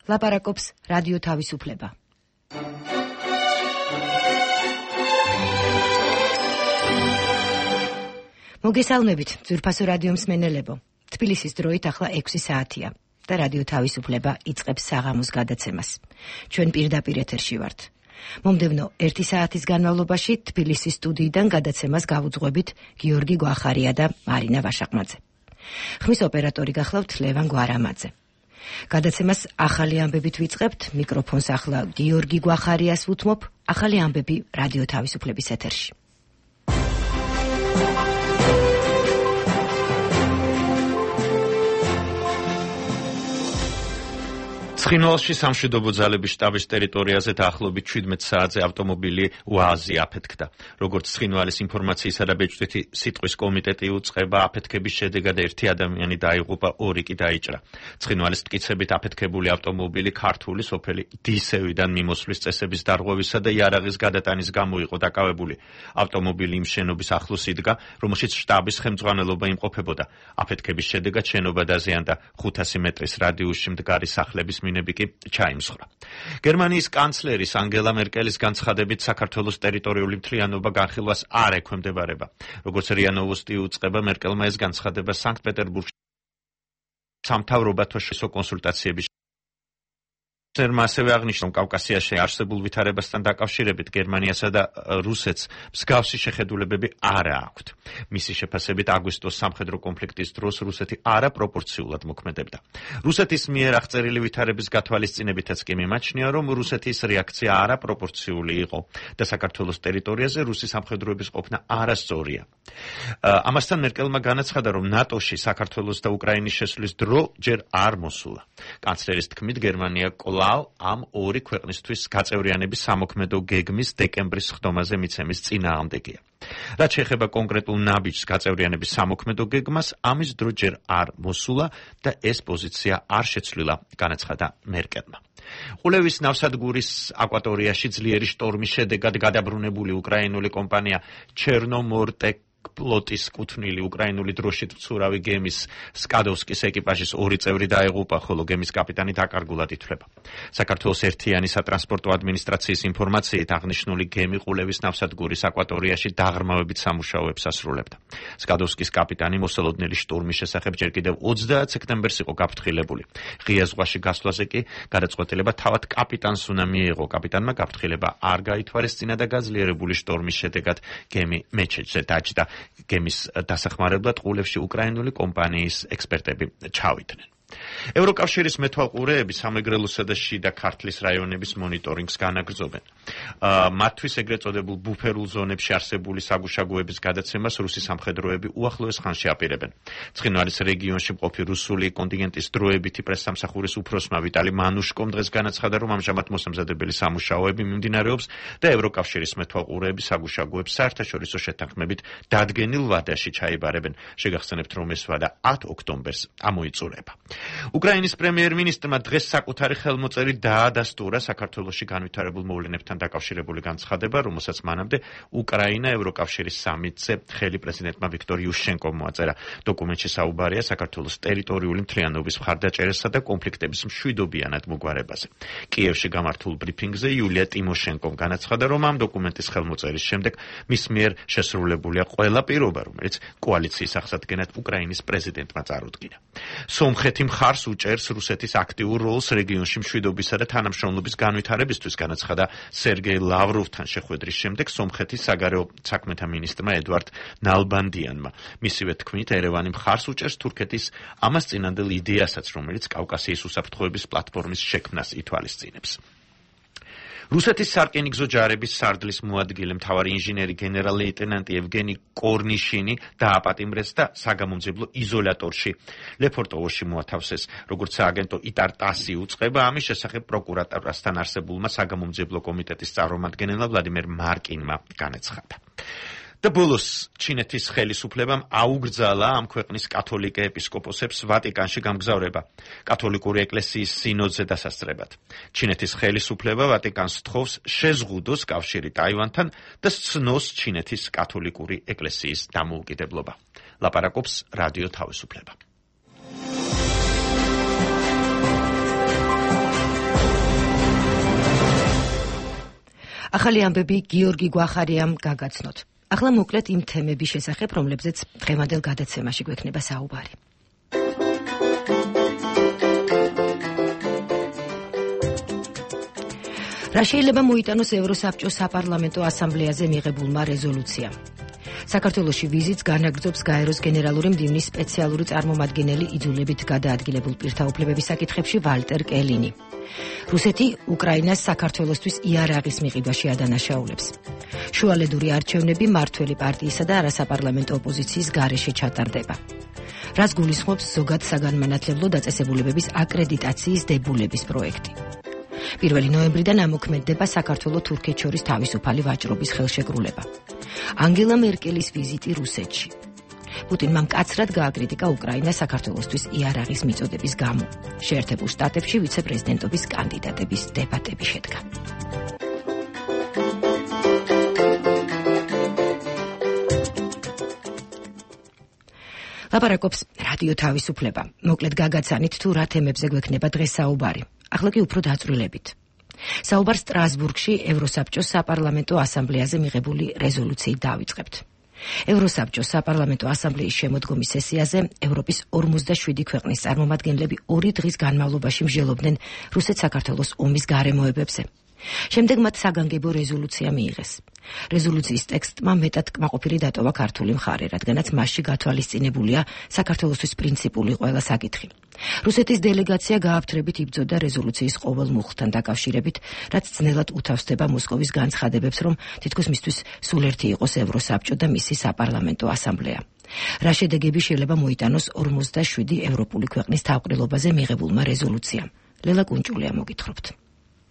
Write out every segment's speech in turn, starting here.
ლაპარაკობს რადიო თავისუფლება. მოგესალმებით, ძვირფასო რადიო მსმენელებო. თბილისის დროით ახლა 6 საათია და რადიო თავისუფლება იწყებს საღამოს გადაცემას. ჩვენ პირდაპირ ეთერში ვართ. მომდევნო 1 საათის განმავლობაში თბილისის სტუდიიდან გადაცემას გავუძღვებით გიორგი გვახარია და მარინა ვაშაყმაძე. ხმის ოპერატორი გახლავთ ლევან გვარამაძე. გადაცემას ახალი ამბებით ვიწყებთ, მიკროფონს ახლა გიორგი გვახარიას ვუთმობ, ახალი ამბები რადიო თავისუფლების ეთერში. ცხინვალში სამშვიდობო ძალების შტაბის ტერიტორიაზე დაახლოებით 17 საათზე ავტომობილი უაზი აფეთქდა. როგორც ცხინვალის ინფორმაციისა და ბეჭდვითი სიტყვის კომიტეტი უწყება, აფეთქების შედეგად 1 ადამიანი დაიღუპა, 2 კი დაიჭრა. ცხინვალის მტკიცებით აფეთქებული ავტომობილი ქართული სოფელი დისევიდან მიმოსვლის წესების დარღვევისა და იარაღის გადატანის გამო იყო დაკავებული. ავტომობილი იმ შენობის ახლოს იდგა, რომელშიც შტაბის ხელმძღვანელობა იმყოფებოდა. აფეთქების შედეგად შენობა დაზიანდა, 500 მეტრის რადიუსში მდგარი სახლების მინები კი ჩაიმსხვრა. გერმანიის კანცლერის ანგელა მერკელის განცხადებით, საქართველოს ტერიტორიული მთლიანობა განხილვას არ ექვემდებარება. როგორც რია ნოვოსტი უწყება, მერკელმა ეს განცხადება სანქტ-პეტერბურგში სამთავრობათა კონსულტაციების ასევე აღნიშნა, კავკასიაში არსებულ ვითარებასთან დაკავშირებით გერმანიასა და რუსეთს მსგავსი შეხედულებები არ აქვთ. მისი შეფასებით, აგვისტოს სამხედრო კონფლიქტის დროს რუსეთი არაპროპორციულად მოქმედებდა. რუსეთის მიერ აღწერილი ვითარების გათვალისწინებითაც კი მიმაჩნია, რომ რუსეთის რეაქცია არაპროპორციული იყო და საქართველოს ტერიტორიაზე რუსი სამხედროების ყოფნა არასწორია. ამასთან მერკელმა განაცხადა, რომ ნატოში საქართველოს და უკრაინის შესვლის დრო ჯერ არ მოსულა. კანცლერის თქმით, გერმანია ამ 2 ქვეყნისთვის გაწევრიანების სამოქმედო გეგმის დეკემბრის ხდომაზე მიცემის წინააღმდეგია. რაც შეეხება კონკრეტულ ნაბიჯს გაწევრიანების სამოქმედო გეგმას, ამის დრო ჯერ არ მოსულა და ეს პოზიცია არ შეცვლილა, განაცხადა მერკელმა. ყულევის ნავსადგურის აკვატორიაში ძლიერი შტორმის შედეგად გადაბრუნებული უკრაინული კომპანია ჩერნომორტეკ ფლოტის კუთვნილი უკრაინული დროშით მცურავი გემის სკადოვსკის ეკიპაჟის 2 წევრი დაიღუპა, ხოლო გემის კაპიტანი დაკარგულად ითვლება. საქართველოს ერთიანი სატრანსპორტო ადმინისტრაციის ინფორმაციით, აღნიშნული გემი ყულევის ნავსადგურის აკვატორიაში დაღრმავებით სამუშაოებს ასრულებდა. სკადოვსკის კაპიტანი მოსალოდნელი შტორმის შესახებ ჯერ კიდევ 30 სექტემბერს იყო გაფრთხილებული. ღია ზღვაში გასვლაზე კი გადაწყვეტილება თავად კაპიტანს უნდა მიიღო. კაპიტანმა გაფრთხილება არ გაითვალისწინა და გაძლიერებული შტორმის შედეგად გემი მეჩეთზე დაჯდა. გემის დასახმარებლად ყულევში უკრაინული კომპანიის ექსპერტები ჩავიდნენ. ევროკავშირის მეთვალყურეები სამეგრელოსა და შიდა ქართლის რაიონების მონიტორინგს განაგრძობენ. მათთვის ეგრეთ წოდებულ ბუფერულ ზონებში არსებული საგუშაგოების გადაცემას რუსი სამხედროები უახლოეს ხანში აპირებენ. ცხინვალის რეგიონში მყოფი რუსული კონტინგენტის დროებითი პრესსამსახურის უფროსმა ვიტალი მანუშკომ დღეს განაცხადა, რომ ამჟამად მოსამზადებელი სამუშაოები მიმდინარეობს და ევროკავშირის მეთვალყურეები საგუშაგოებს საერთაშორისო შეთანხმებით დადგენილ ვადაში ჩაიბარებენ. შეგახსენებთ, რომ ეს ვადა 10 ოქტომბერს ამოიწურება. უკრაინის პრემიერ-მინისტრმა დღეს საკუთარი ხელმოწერით დაადასტურა საქართველოში განვითარებულ მოვლენებთან დაკავშირებული განცხადება, რომელსაც მანამდე უკრაინა ევროკავშირის სამიტზე ხელი პრეზიდენტმა ვიქტორ იუშენკომ მოაწერა. დოკუმენტში საუბარია საქართველოს ტერიტორიული მთლიანობის მხარდაჭერასა და კონფლიქტების მშვიდობიანად მოგვარებაზე. კიევში გამართულ ბრიფინგზე იულია ტიმოშენკომ განაცხადა, რომ ამ დოკუმენტის ხელმოწერის შემდეგ მის მიერ შესრულებულია ყველა პირობა, რომელიც კოალიციის აღსადგენად უკრაინის პრეზიდენტმა წარუდგინა. სომხეთი მხარს უჭერს რუსეთის აქტიურ როლს რეგიონში მშვიდობისა და თანამშრომლობის განვითარებისთვის, განაცხადა სერგეი ლავროვთან შეხვედრის შემდეგ სომხეთის საგარეო საქმეთა მინისტრმა ედვარდ ნალბანდიანმა. მისივე თქმით, ერევანი მხარს უჭერს თურქეთის ამას წინანდელ იდეასაც, რომელიც კავკასიის უსაფრთხოების პლატფორმის შექმნას ითვალისწინებს. რუსეთის სარკინიგზო ჯარების სარდლის მოადგილე მთავარი ინჟინერი გენერალ-ლეიტენანტი ევგენი კორნიშინი დააპატიმრეს და საგამომძებლო იზოლატორში ლეფორტოვოში მოათავსეს. როგორც სააგენტო იტარტასი უწყება, ამის შესახებ პროკურატურასთან არსებულმა საგამომძებლო კომიტეტის წარმომადგენელმა ვლადიმერ მარკინმა განაცხადა. და ბოლოს ჩინეთის ხელისუფლებამ აუგრძალა ამ ქვეყნის კათოლიკე ეპისკოპოსებს ვატიკანში გამგზავრება კათოლიკური ეკლესიის სინოდზე დასასწრებად. ჩინეთის ხელისუფლება ვატიკანს თხოვს შეზღუდოს კავშირი ტაივანთან და სცნოს ჩინეთის კათოლიკური ეკლესიის დამოუკიდებლობა. ლაპარაკობს რადიო თავისუფლება. ახალი ამბები გიორგი გვახარიამ გაგაცნოთ. ახლა მოკლედ იმ თემების შესახებ, რომლებზეც დღევანდელ გადაცემაში გვექნება საუბარი. რა შეიძლება მოიტანოს ევროსაბჭოს საპარლამენტო ასამბლეაზე მიღებულმა რეზოლუციამ? საქართველოში ვიზიტს განაგრძობს გაეროს გენერალური მდივნის სპეციალური წარმომადგენელი იძულებით გადაადგილებულ პირთა უფლებების საკითხებში ვალტერ კელინი. რუსეთი უკრაინას საქართველოსთვის იარაღის მიღებაში ადანაშაულებს. შუალედური არჩევნები მართველი პარტიისა და არასაპარლამენტო ოპოზიციის გარეშე ჩატარდება. რაც გულისხმობს ზოგად საგანმანათლებლო დაწესებულებების აკრედიტაციის დებულების პროექტი. 1 ნოემბრიდან ამოქმედდება საქართველო-თურქეთ შორის თავისუფალი ვაჭრობის ხელშეკრულება. ანგელა მერკელის ვიზიტი რუსეთში. პუტინმა მკაცრად გააკრიტიკა უკრაინა საქართველოსთვის იარაღის მიწოდების გამო. შეერთებულ შტატებში ვიცე-პრეზიდენტობის კანდიდატების დებატები შედგა. ლაპარაკობს რადიო თავისუფლება. მოკლედ გაგაცანით თუ რა თემებზე გვექნება დღეს საუბარი. ახლა კი უფრო დაწვრილებით. საუბარს სტრასბურგში ევროსაბჭოს საპარლამენტო ასამბლეაზე მიღებული რეზოლუციით დავიწყებთ. ევროსაბჭოს საპარლამენტო ასამბლეის შემოდგომის სესიაზე ევროპის 47 ქვეყნის წარმომადგენლები 2 დღის განმავლობაში მსჯელობდნენ რუსეთ-საქართველოს ომის გარემოებებზე. შემდეგ მათ საგანგებო რეზოლუცია მიიღეს. რეზოლუციის ტექსტმა მეტად კმაყოფილი დატოვა ქართული მხარე, რადგანაც მასში გათვალისწინებულია საქართველოსთვის პრინციპული ყველა საკითხი. რუსეთის დელეგაცია გააფთრებით იბრძოდა რეზოლუციის ყოველ მუხლთან დაკავშირებით, რაც ძნელად უთავსდება მოსკოვის განცხადებებს, რომ თითქოს მისთვის სულ ერთი იყოს ევროსაბჭო და მისი საპარლამენტო ასამბლეა. რა შედეგები შეიძლება მოიტანოს 47 ევროპული ქვეყნის თავყრილობაზე მიღებულმა რეზოლუციამ? ლელა კუნჭულია მოგითხრობთ.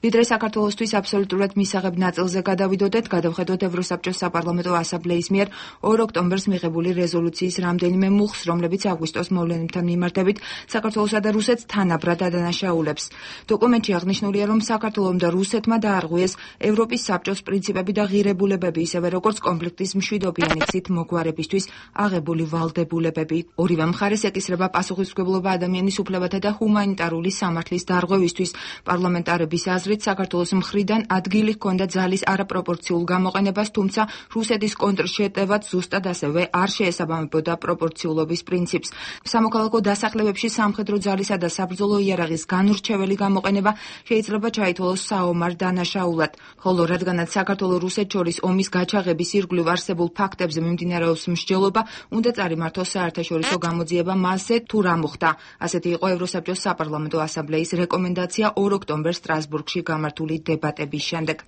ვიდრე საქართველოსთვის აბსოლუტურად მისაღებ ნაწილზე გადავიდოდეთ, გადავხედოთ ევროსაბჭოს საპარლამენტო ასამბლეის მიერ 2 ოქტომბერს მიღებული რეზოლუციის რამდენიმე მუხლს, რომლებიც აგვისტოს მოვლენებთან მიმართებით საქართველოსა და რუსეთს თანაბრად ადანაშაულებს. დოკუმენტში აღნიშნულია, რომ საქართველომ და რუსეთმა დაარღვიეს ევროპის საბჭოს პრინციპები და ღირებულებები, ისევე როგორც კონფლიქტის მშვიდობიანი გზით მოგვარებისთვის აღებული ვალდებულებები. ორივე მხარეს ეკისრება პასუხისმგებლობა ადამიანის უფლებათა და ჰუმანიტარული სამართლის დარღვევისთვის. პარლამენტარების აზრით საქართველოს მხრიდან ადგილი ჰქონდა ძალის არაპროპორციულ გამოყენებას, თუმცა რუსეთის კონტრშეტევაც ზუსტად ასევე არ შეესაბამებოდა პროპორციულობის პრინციპს. სამოქალაქო დასახლებებში სამხედრო ძალისა და საბრძოლო იარაღის განურჩეველი გამოყენება შეიძლება ჩაითვალოს საომარ დანაშაულად, ხოლო რადგანაც საქართველო-რუსეთ შორის ომის გაჩაღების ირგვლივ არსებულ ფაქტებზე მიმდინარეობს მსჯელობა, უნდა წარიმართოს საერთაშორისო გამოძიება მასზე თუ რა მოხდა. ასეთი იყო ევროსაბჭოს საპარლამენტო ასამბლეის რეკომენდაცია 2 ოქტომბერს სტრასბურგში გამართული დებატების შემდეგ.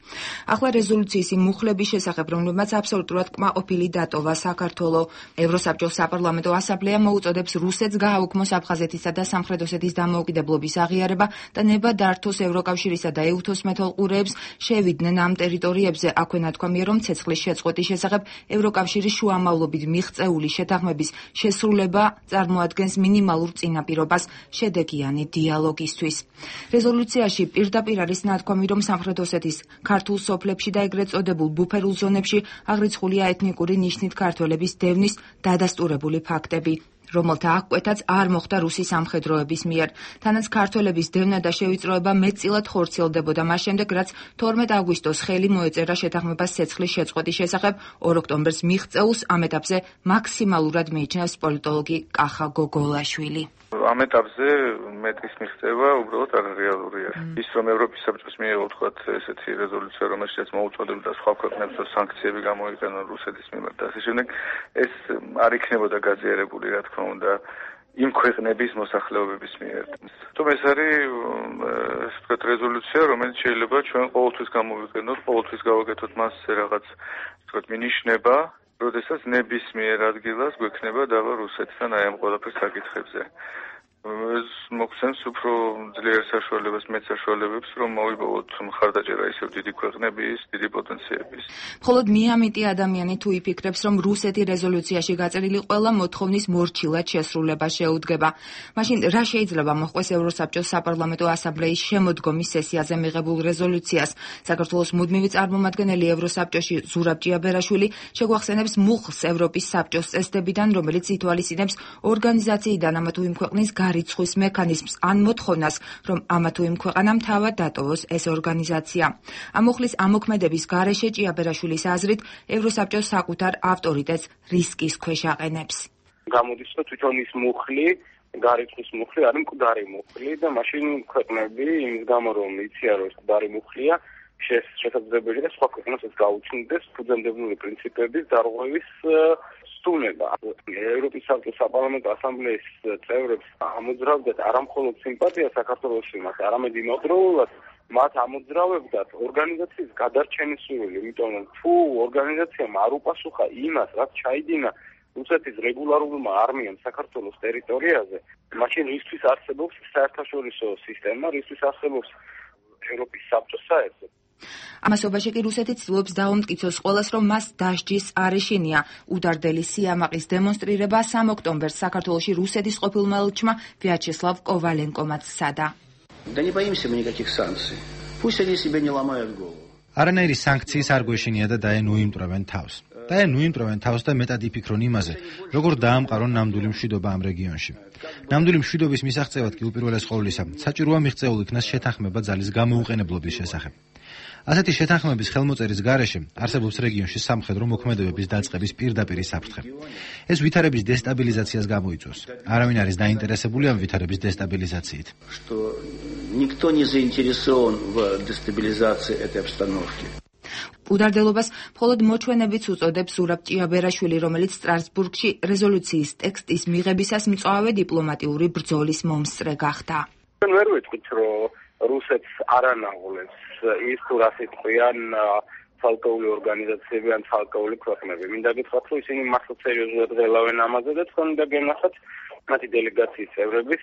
ახლა რეზოლუციის იმ მუხლების შესახებ, რომლებმაც აბსოლუტურად კმაყოფილი დატოვა საქართველო. ევროსაბჭოს საპარლამენტო ასამბლეა მოუწოდებს რუსეთს გააუქმოს აფხაზეთისა და სამხრეთ ოსეთის დამოუკიდებლობის აღიარება და ნება დართოს ევროკავშირისა და ეუთოს მეთვალყურეებს შევიდნენ ამ ტერიტორიებზე. აქვე ნათქვამია, რომ ცეცხლის შეწყვეტის შესახებ ევროკავშირის შუამავლობით მიღწეული შეთანხმების შესრულება წარმოადგენს მინიმალურ წინაპირობას შედეგიანი დიალოგისთვის. რეზოლუციაში პირდაპირ არის ნათქვამი, რომ სამხრეთ ოსეთის ქართულ სოფლებში და ეგრეთ წოდებულ ბუფერულ ზონებში აღრიცხულია ეთნიკური ნიშნით ქართველების დევნის დადასტურებული ფაქტები, რომელთა აღკვეთაც არ მოხდა რუსის სამხედროების მიერ. თანაც ქართველების დევნა და შევიწროება მეტწილად ხორციელდებოდა მას შემდეგ, რაც 12 აგვისტოს ხელი მოეწერა შეთანხმებას ცეცხლის შეწყვეტის შესახებ 2 ოქტომბერს მიღწეულს. ამ ეტაპზე მაქსიმალურად მიიჩნევს პოლიტოლოგი კახა გოგოლაშვილი. ამ ეტაპზე მეტის მიღწევა უბრალოდ არარეალურია. ის რომ ევროპის საბჭოს მიიღო თქვათ ესეთი რეზოლუცია, რომელშიც მოუწოდებდა სხვა ქვეყნებს რომ სანქციები გამოიყენონ რუსეთის მიმართ და ასე შემდეგ, ეს არ იქნებოდა გაზიარებული, რა თქმა უნდა, იმ ქვეყნების მოსახლეობების მიერ. თუმცა ეს არის თქვათ რეზოლუცია, რომელიც შეიძლება ჩვენ ყოველთვის გამოვიყენოთ, ყოველთვის გავაკეთოთ მასზე რაღაც თქვათ მინიშნება, როდესაც ნებისმიერ ადგილას გვექნება დავა რუსეთთან აი ამ ყველაფრის საკითხებზე. ეს მოგცემს უფრო ძლიერ საშუალებას, მეტ საშუალებებს, რომ მოვიპოვოთ მხარდაჭერა ისევ დიდი ქვეყნების, დიდი პოტენციების. მხოლოდ მიამიტი ადამიანი თუ იფიქრებს, რომ რუსეთი რეზოლუციაში გაწერილი ყველა მოთხოვნის მორჩილად შესრულება შეუდგება. მაშინ რა შეიძლება მოჰყვეს ევროსაბჭოს საპარლამენტო ასამბლეის შემოდგომის სესიაზე მიღებულ რეზოლუციას? საქართველოს მუდმივი წარმომადგენელი ევროსაბჭოში ზურაბ ჭიაბერაშვილი შეგვახსენებს მუხლს ევროპის საბჭოს წესდებიდან, რომელიც ითვალისწინებს ორგანიზაციიდან ამა თუ იმ ქვეყნის რიცხვის მექანიზმს ან მოთხოვნას, რომ ამა თუ იმ ქვეყანამ თავად დატოვოს ეს ორგანიზაცია. ამ მუხლის ამოქმედების გარეშე ჭიაბერაშვილის აზრით ევროსაბჭოს საკუთარ ავტორიტეტს რისკის ქვეშ აყენებს. გამოდის, რომ თვითონ ის მუხლი გარიცხვის მუხლი არის მკვდარი მუხლი და მაშინ ქვეყნები იმის გამო რომ იციან რომ ეს მკვდარი მუხლია შესაძლებელია სხვა ქვეყნებსაც გაუჩნდეს ფუძემდებლური პრინციპების დარღვევის სტუნება. ევროპის საბჭოს საპარლამენტო ასამბლეის წევრებს ამოძრავდათ არამხოლოდ სიმპათია საქართველოში მას, არამედ იმავდროულად მათ ამოძრავებდათ ორგანიზაციის გადარჩენის სურვილი, იმიტომ რომ თუ ორგანიზაციამ არ უპასუხა იმას, რაც ჩაიდინა რუსეთის რეგულარულმა არმიამ საქართველოს ტერიტორიაზე, მაშინ რისთვის არსებობს საერთაშორისო სისტემა, რისთვის არსებობს ევროპის საბჭოს საერთოდ. ამასობაში კი რუსეთი ცდილობს დაუმტკიცოს ყველას, რომ მას დასჯის არ ეშინია. უდარდელი სიამაყის დემონსტრირება 3 ოქტომბერს საქართველოში რუსეთის ყოფილმა ელჩმა ვიაჩესლავ კოვალენკომაც სცადა. Да не боимся мы никаких санкций. Пусть они себе не ломают голову. არანაირი სანქციის არ გვეშინია და დაენუიმტვრევენ თავს. დაენუიმტვრევენ თავს და მეტად იფიქრონ იმაზე, როგორ დაამყარონ ნამდვილი მშვიდობა ამ რეგიონში. ნამდვილი მშვიდობის მისაღწევად კი უპირველეს ყოვლისა, საჭიროა მიღწეულ იქნას შეთანხმება ძალის გამოუყენებლობის შესახებ. ასეთი შეთანხმების ხელმოწერის გარეშე არსებობს რეგიონში სამხედრო მოქმედებების დაწყების პირდაპირი საფრთხე. ეს ვითარების დესტაბილიზაციას გამოიწვევს. არავინ არის დაინტერესებული ამ ვითარების დესტაბილიზაციით. Что никто не заинтересован в дестабилизации этой обстановки. უდარდელობას მხოლოდ მოჩვენებიც უწოდებს ზურაბ ჭიაბერაშვილი, რომელიც სტრასბურგში რეზოლუციის ტექსტის მიღებისას მწვავე დიპლომატიური ბრძოლის მომსწრე გახდა. ვერ ვიტყვით, რომ რუსეთს არანაღვლებს ის თუ რას იტყვიან ცალკეული ორგანიზაციები ან ცალკეული ქვეყნები. მინდა გითხრათ, რომ ისინი მართლა სერიოზულად ღელავენ ამაზე და თქვენ უნდა გენახათ მათი დელეგაციის წევრების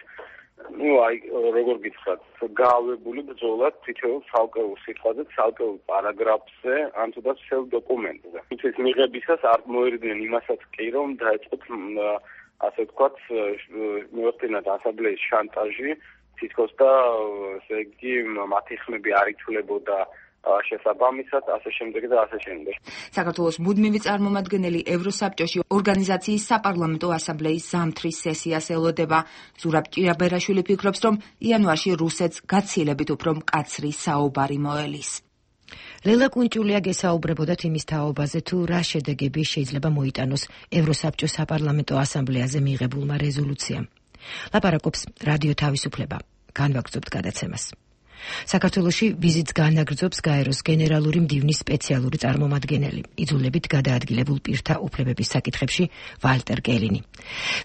როგორ გითხრათ, გაავებული ბრძოლა თითოეულ ცალკეულ სიტყვაზე, ცალკეულ პარაგრაფზე, ან თუნდაც всё დოკუმენტზე. ის მიღებისას არ მოერიდნენ იმასაც კი, რომ დაეწყოთ ასე ვთქვათ, მოეხდინათ ასამბლეის შანტაჟი, თითქოს და ესე იგი მათი ხმები არ ითვლებოდა შესაბამისად, ასე შემდეგ და ასე შემდეგ. საქართველოს მუდმივი წარმომადგენელი ევროსაბჭოში ორგანიზაციის საპარლამენტო ასამბლეის ზამთრის სესიას ელოდება. ზურაბ ჭიაბერაშვილი ფიქრობს, რომ იანვარში რუსეთს გაცილებით უფრო მკაცრი საუბარი მოელის. ლელა კუნჭულია გესაუბრებოდათ იმის თაობაზე, თუ რა შედეგები შეიძლება მოიტანოს ევროსაბჭოს საპარლამენტო ასამბლეაზე მიღებულმა რეზოლუციამ. ლაპარაკობს რადიო თავისუფლება. განვაგრძობთ გადაცემას. საქართველოში ვიზიტს განაგრძობს გაეროს გენერალური მდივნის სპეციალური წარმომადგენელი, იძულებით გადაადგილებულ პირთა უფლებების საკითხებში ვალტერ კელინი.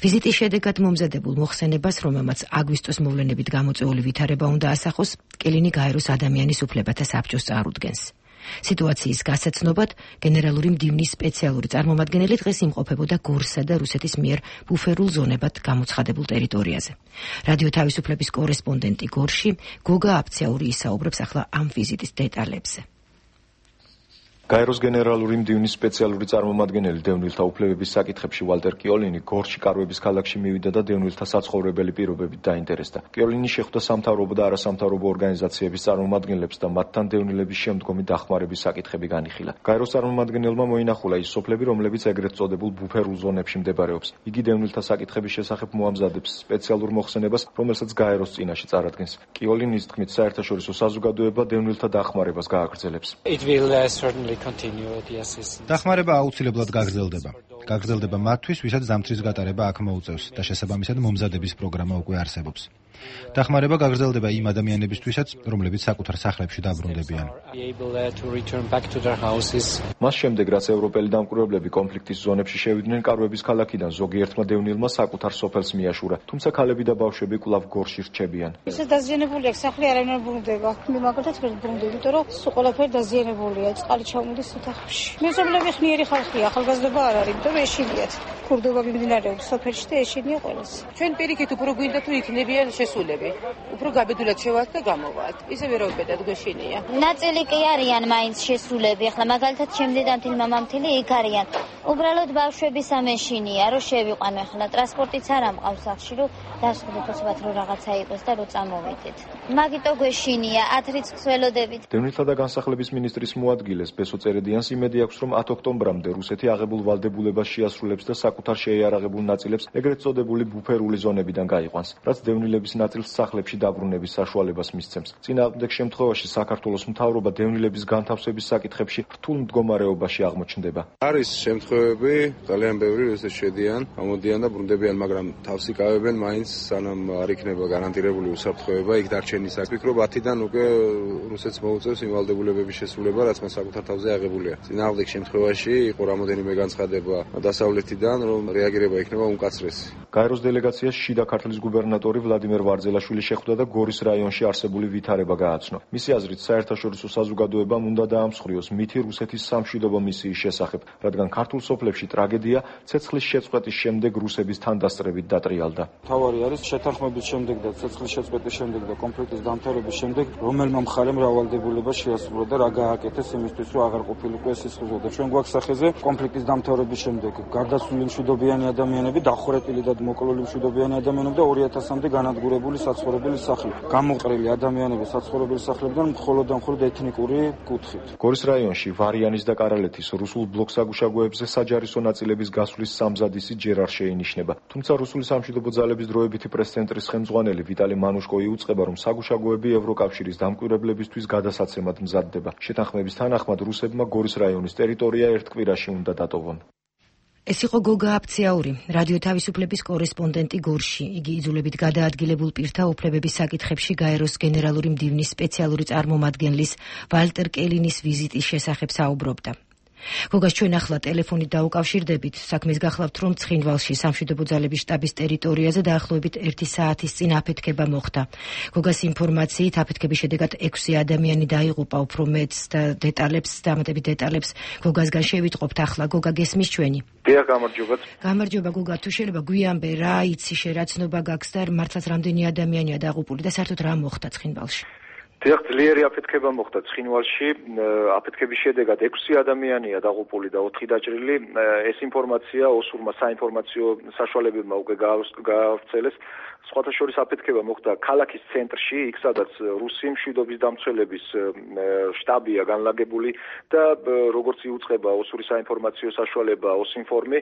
ვიზიტის შედეგად მომზადებულ მოხსენებას, რომელმაც აგვისტოს მოვლენებით გამოწვეული ვითარება უნდა ასახოს, კელინი გაეროს ადამიანის უფლებათა საბჭოს წარუდგენს. სიტუაციის გასაცნობად გენერალური მდივნის სპეციალური წარმომადგენელი დღეს იმყოფებოდა გორსა და რუსეთის მიერ ბუფერულ ზონებად გამოცხადებულ ტერიტორიაზე. რადიო თავისუფლების კორესპონდენტი გორში გოგა აფციური ისაუბრებს ახლა ამ ვიზიტის დეტალებზე. გაეროს გენერალური მდივნის სპეციალური წარმომადგენელი დევნილთა უფლებების საკითხებში ვალტერ კიოლინი გორში კარვების ქალაქში მივიდა და დევნილთა საცხოვრებელი პირობებით დაინტერესდა. კიოლინი შეხვდა სამთავრობო და არასამთავრობო ორგანიზაციების წარმომადგენლებს და მათთან დევნილების შემდგომი დახმარების საკითხები განიხილა. გაეროს წარმომადგენელმა მოინახულა ის სოფლები, რომლებიც ეგრეთ წოდებულ ბუფერულ ზონებში მდებარეობს. იგი დევნილთა საკითხების შესახებ მოამზადებს სპეციალურ მოხსენებას, რომელსაც გაეროს წინაშე წარადგენს. კიოლინის თქმით, საერთაშორისო საზოგადოება დევნილთა დახმარებას გააგრძელებს. დახმარება აუცილებლად გაგრძელდება. გაგრძელდება მათთვის, ვისაც ზამთრის გატარება აქ მოუწევს და შესაბამისად მომზადების პროგრამა უკვე არსებობს. დახმარება გაგრძელდება იმ ადამიანებისთვისაც, რომლებიც საკუთარ სახლებში დაბრუნდებიან. მას შემდეგ, რაც ევროპელი დამკვირვებლები კონფლიქტის ზონებში შევიდნენ კარვების ქალაქიდან, ზოგიერთმა დევნილმა საკუთარ სოფელს მიაშურა, თუმცა ქალები და ბავშვები კვლავ გორში რჩებიან. ისე დაზიანებული აქვს სახლი, არავინ არ ბრუნდება. მე მაგალითად ვერ ბრუნდები, იმიტომ რომ სულ ყველაფერი დაზიანებულია, წყალი ჩამოდის ოთახებში. მეზობლები ხნიერი ხალხია, ახალგაზრდობა არ არის, იმიტომ რომ ეშინიათ. ქურდობა მიმდინარეობს სოფელში და ეშინია ყველას. ჩვენ პირიქით უფრო გვინდა თუ იქნებიან შესულები. უფრო გაბედულად შევალთ და გამოვართ. ისე ვერაუდბედად გვეშინია. ნაწილი კი არიან მაინც შესულები. ახლა მაგალითად ჩემ დედამთილი, მამამთილი იქ არიან. უბრალოდ ბავშვების ამეშინია, რომ შევიყვანო ახლა ტრანსპორტიც არ ამყავს სახში, რომ დასხდეთ რომ რაღაცა იყოს და რომ წამოვიდეთ. მაგიტო გვეშინია, 10 რიცხვს ველოდებით. დევნილთა და განსახლების მინისტრის მოადგილეს ბესო წერედიანს იმედი აქვს, რომ 10 ოქტომბრამდე რუსეთი აღებულ ვალდებულებას შეასრულებს და საკუთარ შეიარაღებულ ნაწილებს ეგრეთ წოდებული ბუფერული ზონებიდან გაიყვანს, რაც დევნილების ნაწილს სახლებში დაბრუნების საშუალებას მისცემს. წინააღმდეგ შემთხვევაში საქართველოს მთავრობა დევნილების განთავსების საკითხებში რთულ მდგომარეობაში აღმოჩნდება. არის შემთხვევები, ძალიან ბევრი, როდესაც შედიან, გამოდიან და ბრუნდებიან, მაგრამ თავს იკავებენ მაინც სანამ არ იქნება გარანტირებული უსაფრთხოება, იქ დარჩენის აქ. ვფიქრობ 10-დან უკვე რუსეთს მოუწევს იმ ვალდებულებების შესრულება, რაც მას საკუთარ თავზე აღებულია. წინააღმდეგ შემთხვევაში იყო რამოდენიმე განცხადება დასავლეთიდან, რომ რეაგირება იქნება უმკაცრესი. გაეროს დელეგაციას შიდა ქართლის გუბერნატორი ვლადიმერ ვარძელაშვილი შეხვდა და გორის რაიონში არსებული ვითარება გააცნო. მისი აზრით, საერთაშორისო საზოგადოებამ უნდა დაამსხვრიოს მითი რუსეთის სამშვიდობო მისიის შესახებ, რადგან ქართულ სოფლებში ტრაგედია ცეცხლის შეწყვეტის შემდეგ რუსების თანდასწრებით დატრიალდა. თავარი არის შეთანხმების შემდეგ და ცეცხლის შეწყვეტის შემდეგ და კონფლიქტის დამთავრების შემდეგ რომელმა მხარემ რავალდებულება შეასრულა და რა გააკეთეს იმისთვის, რომ აღარ ყოფილიყო ეს სისხლზე და ჩვენ გვაქვს სახეზე კონფლიქტის დამთავრების შემდეგ გარდაცვლილი მშვიდობიანი ადამიანები, დახურეტილი და მოკლული მშვიდობიანი ადამიანები და 2000-მდე განადგურებული საცხოვრებელი სახლი. გამოყრილი ადამიანები საცხოვრებელი სახლებიდან მხოლოდ და მხოლოდ ეთნიკური კუთხით. გორის რაიონში ვარიანის და კარალეთის რუსულ ბლოკსაგუშაგოებზე საჯარისო ნაწილების გასვლის სამზადისი ჯერ არ შეინიშნება. თუმცა რუსული სამშვიდობო ძალების დროებითი პრეს-ცენტრის ხელმძღვანელი ვიტალი მანუშკო იუწყება, რომ საგუშაგოები ევროკავშირის დამკვირვებლებისთვის გადასაცემად მზადდება. შეთანხმების თანახმად რუსებმა გორის რაიონის ტერიტორია ერთ კვირაში უნდა დატოვონ. ეს იყო გოგა აფციაური, რადიო თავისუფლების კორესპონდენტი გორში. იგი იძულებით გადაადგილებულ პირთა უფლებების საკითხებში გაეროს გენერალური მდივნის სპეციალური წარმომადგენლის ვალტერ კელინის ვიზიტის შესახებ საუბრობდა. გოგას ჩვენ ახლა ტელეფონით დაუკავშირდებით. საქმეს გახლავთ, რომ ცხინვალში სამშვიდობო ძალების შტაბის ტერიტორიაზე დაახლოებით 1 საათის წინ აფეთქება მოხდა. გოგას ინფორმაციით აფეთქების შედეგად 6 ადამიანი დაიღუპა. უფრო მეტს და დამატებით დეტალებს გოგასგან შევიტყობთ ახლა. გოგა, გესმის ჩვენი? დიახ, გამარჯობა. გამარჯობა გოგა, თუ შეიძლება გვიანბე რა იცი, შერაცნობა გაქვს და მართლაც რამდენი ადამიანია დაღუპული და საერთოდ რა მოხდა ცხინვალში? დიახ, ძლიერი აფეთქება მოხდა ცხინვალში. აფეთქების შედეგად 6 ადამიანია დაღუპული და 4 დაჭრილი. ეს ინფორმაცია ოსურმა საინფორმაციო საშუალებებმა უკვე გაავრცელეს. სხვათა შორის აფეთქება მოხდა ქალაქის ცენტრში, იქ სადაც რუსი მშვიდობის დამცველების შტაბია განლაგებული და როგორც იუწყება ოსური საინფორმაციო საშუალება ოსინფორმი,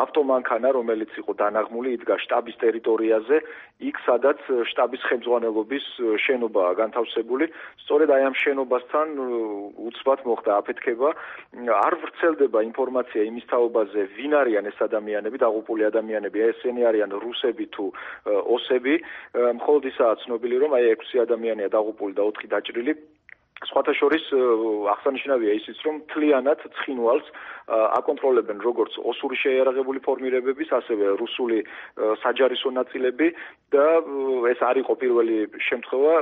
ავტომანქანა, რომელიც იყო დანაღმული, იდგა შტაბის ტერიტორიაზე, იქ სადაც შტაბის ხელმძღვანელობის შენობაა განთავსებული. სწორედ აი ამ შენობასთან უცბად მოხდა აფეთქება. არ ვრცელდება ინფორმაცია იმის თაობაზე, ვინ არიან ეს ადამიანები, დაღუპული ადამიანები, ესენი არიან რუსები თუ ოსები, მხოლოდ ისაა ცნობილი, რომ აი 6 ადამიანია დაღუპული და 4 დაჭრილი. სხვათა შორის აღსანიშნავია ისიც, რომ მთლიანად ცხინვალს აკონტროლებენ როგორც ოსური შეიარაღებული ფორმირებების, ასევე რუსული საჯარისო ნაწილები და ეს არ იყო პირველი შემთხვევა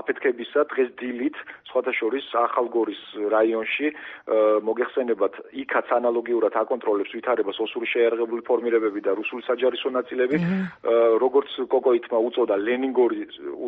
აფეთქებისა დღეს დილით, სხვათა შორის ახალგორის რაიონში მოგეხსენებათ, იქაც ანალოგიურად აკონტროლებს ვითარებას ოსური შეიარაღებული ფორმირებები და რუსული საჯარისო ნაწილები, როგორც კოკოითმა უწოდა ლენინგორი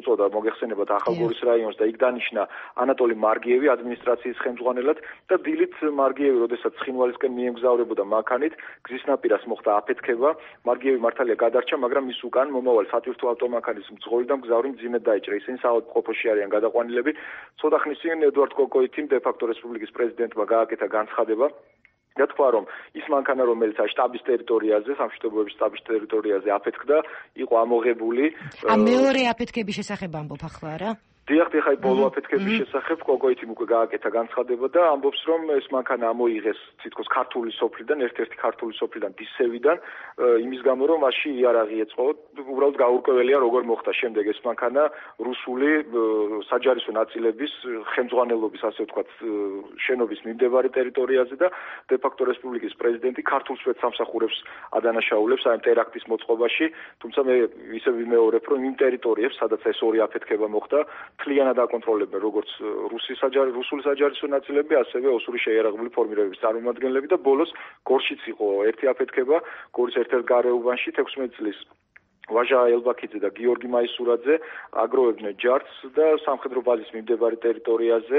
უწოდა მოგეხსენებათ ახალგორის რაიონს და იქ დანიშნა ანატოლი მარგიევი ადმინისტრაციის ხელმძღვანელად და დილით მარგიევი, როდესაც ცხინვალისკენ მიემგზავრებოდა მანქანით, გზის ნაპირას მოხდა აფეთქება. მარგიევი მართალია გადარჩა, მაგრამ ის უკან მომავალი სატვირთო ავტომანქანის მძღოლი და მგზავრი მძიმედ დაიჭრა. ისინი საავადმყოფოში არიან გადაყვანილები. ცოტა ხნის წინ ედუარდ კოკოითიმ დე-ფაქტო რესპუბლიკის პრეზიდენტმა გააკეთა განცხადება და თქვა, რომ ის მანქანა, რომელიც შტაბის ტერიტორიაზე, სამშვიდობოების შტაბის ტერიტორიაზე აფეთქდა, იყო ამოღებული. მეორე აფეთქების შესახებ ამბობ ახლა რა? დიახ, ხაი ბოლო აფეთქების შესახებ კოკოითიმ უკვე გააკეთა განცხადება და ამბობს, რომ ეს მანქანა ამოიღეს თითქოს ქართული სოფლიდან, ერთ-ერთი ქართული სოფლიდან დისევიდან, იმის გამო, რომ მასში იარაღი ეწყო. უბრალოდ გაურკვეველია, როგორ მოხდა შემდეგ ეს მანქანა რუსული საჯარისო ნაწილების ხელმძღვანელობის, ასე ვთქვათ, შენობის მიმდებარე ტერიტორიაზე და დე-ფაქტო რესპუბლიკის პრეზიდენტი ქართულ სპეცსამსახურებს ადანაშაულებს აი ტერაქტის მოწყობაში, თუმცა მე ისე ვიმეორებ, რომ იმ ტერიტორიებს, სადაც ეს ორი აფეთქება მოხდა, მთლიანად აკონტროლებენ როგორც რუსული საჯარისო ნაწილები, ასევე ოსური შეიარაღებული ფორმირებების წარმომადგენლები და ბოლოს გორშიც იყო ერთი აფეთქება, გორის ერთ-ერთ გარეუბანში 16 წლის ვაჟა ელბაქიძე და გიორგი მაისურაძე აგროვებდნენ ჯარს და სამხედრო ბაზის მიმდებარე ტერიტორიაზე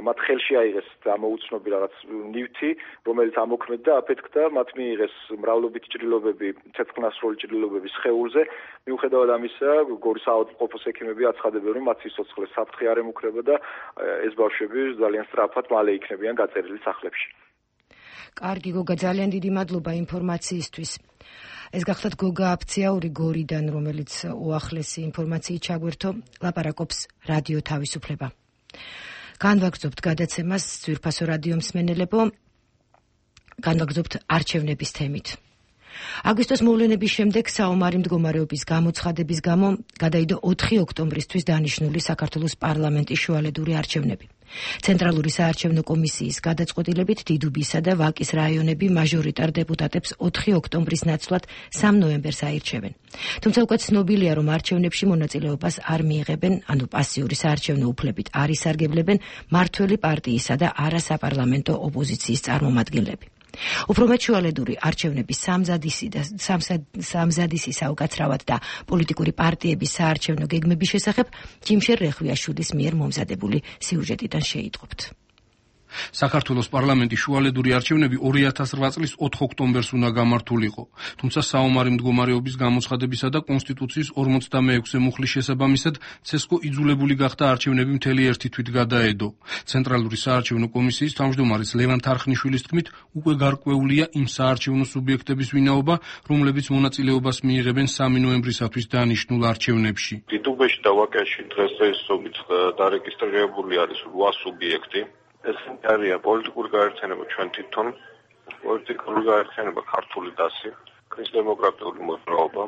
მათ ხელში აიღეს ამოუცნობი რაღაც ნივთი, რომელიც ამოქმედდა, აფეთქდა, მათ მიიღეს მრავლობითი ჭრილობები, ცეცხლნასროლი ჭრილობები სხეულზე. მიუხედავად ამისა, გორის საავადმყოფოს ექიმები აცხადებენ, რომ მათ სიცოცხლეს საფრთხე არ ემუქრება და ეს ბავშვები ძალიან სწრაფად მალე იქნებიან გაწერილი სახლებში. კარგი, გოგა, ძალიან დიდი მადლობა ინფორმაციისთვის. ეს გახლავთ გოგა აფციაური გორიდან, რომელიც უახლესი ინფორმაციით ჩაგვერთო, ლაპარაკობს რადიო თავისუფლება. განვაგრძობთ გადაცემას ძვირფასო რადიო მსმენელებო, განვაგრძობთ არჩევნების თემით. აგვისტოს მოვლენების შემდეგ საომარი მდგომარეობის გამოცხადების გამო გადაიდო 4 ოქტომბრისთვის დანიშნული საქართველოს პარლამენტის შუალედური არჩევნები. ცენტრალური საარჩევნო კომისიის გადაწყვეტილებით დიდუბისა და ვაკის რაიონები მაჟორიტარ დეპუტატებს 4 ოქტომბრის ნაცვლად 3 ნოემბერს აირჩევენ. თუმცა უკვე ცნობილია, რომ არჩევნებში მონაწილეობას არ მიიღებენ, ანუ პასიური საარჩევნო უფლებით არ ისარგებლებენ მმართველი პარტიისა და არასაპარლამენტო ოპოზიციის წარმომადგენლები. უფრო მეტ შუალედური არჩევნების სამზადისი საუკაცრავად და პოლიტიკური პარტიების საარჩევნო გეგმების შესახებ ჯიმშერ რეხვიაშვილის მიერ მომზადებული სიუჟეტიდან შეიტყობთ. საქართველოს პარლამენტის შუალედური არჩევნები 2008 წლის 4 ოქტომბერს უნდა გამართულიყო. თუმცა საომარი მდგომარეობის გამოცხადებისა და კონსტიტუციის 46-ე მუხლის შესაბამისად ცესკო იძულებული გახდა არჩევნები მთელი ერთი თვით გადაედო. ცენტრალური საარჩევნო კომისიის თავმჯდომარის ლევან თარხნიშვილის თქმით, უკვე გარკვეულია იმ საარჩევნო სუბიექტების ვინაობა, რომლებიც მონაწილეობას მიიღებენ 3 ნოემბრისათვის დანიშნულ არჩევნებში. დიდუბეში და ვაკეში დღესდღეობით დარეგისტრირებული არის 8 სუბიექტი. ეს არის პოლიტიკური გაერთიანება ჩვენ თვითონ, პოლიტიკური გაერთიანება ქართული დასი, ქრისტემოკრატიული მოძრაობა,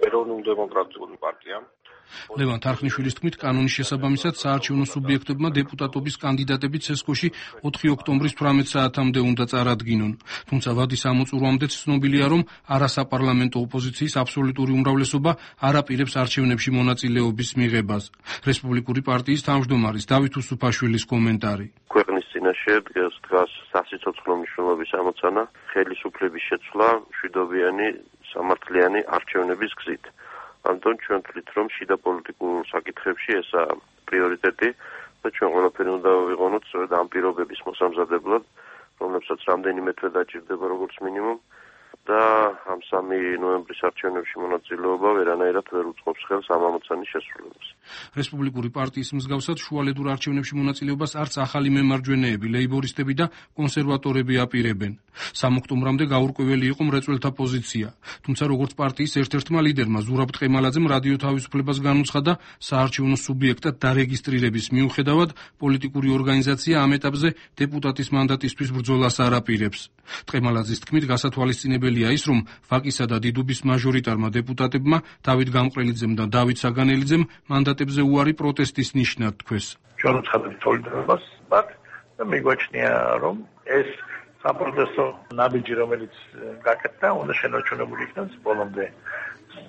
ეროვნულ დემოკრატიული პარტია. ლევან თარხნიშვილის თქმით, კანონის შესაბამისად საარჩევნო სუბიექტებმა დეპუტატობის კანდიდატები ცესკოში 4 ოქტომბრის 18 საათამდე უნდა წარადგინონ. თუმცა ვადის ამოწურვამდეც ცნობილია, რომ არასაპარლამენტო ოპოზიციის აბსოლუტური უმრავლესობა არ აპირებს არჩევნებში მონაწილეობის მიღებას. რესპუბლიკური პარტიის თავმჯდომარის დავით უსუფაშვილის კომენტარი. ქვეყნის წინაშე დგას სასიცოცხლო მნიშვნელობის ამოცანა, ხელისუფლების შეცვლა მშვიდობიანი სამართლიანი არჩევნების გზით. ამიტომ ჩვენ ვთვლით, რომ შიდა პოლიტიკურ საკითხებში ესაა პრიორიტეტი და ჩვენ ყველაფერი უნდა ვიყენოთ სწორედ ამ პირობების მოსამზადებლად, რომლებსაც რამდენიმე თვე დაჭირდება როგორც მინიმუმ და ამ 3 ნოემბრის არჩევნებში მონაწილეობა ვერანაირად ვერ უწყობს ხელს ამ ამოცანის შესრულებას. რესპუბლიკური პარტიის მსგავსად შუალედურ არჩევნებში მონაწილეობას არც ახალი მემარჯვენეები, ლეიბორისტები და კონსერვატორები აპირებენ. 3 ოქტომბრამდე გაურკვეველი იყო მრეწველთა პოზიცია. თუმცა როგორც პარტიის ერთ-ერთმა ლიდერმა ზურაბ ტყემალაძემ რადიო თავისუფლებას განუცხადა, საარჩევნო სუბიექტად დარეგისტრირების მიუხედავად პოლიტიკური ორგანიზაცია ამ ეტაპზე დეპუტატის მანდატისთვის ბრძოლას არ აპირებს. ტყემალაძის თქმით, გასათვალისწინებელია ის, რომ ვაკისა და დიდუბის მაჟორიტარმა დეპუტატებმა დავით გამყრელიძემ და დავით საგანელიძემ მანდატებზე უარი პროტესტის ნიშნად თქვეს. ჩვენ ვცხადებით სოლიდარობას მათ და მიგვაჩნია, რომ ეს საპროტესტო ნაბიჯი, რომელიც გაკეთდა, უნდა შენარჩუნებული იქნას ბოლომდე.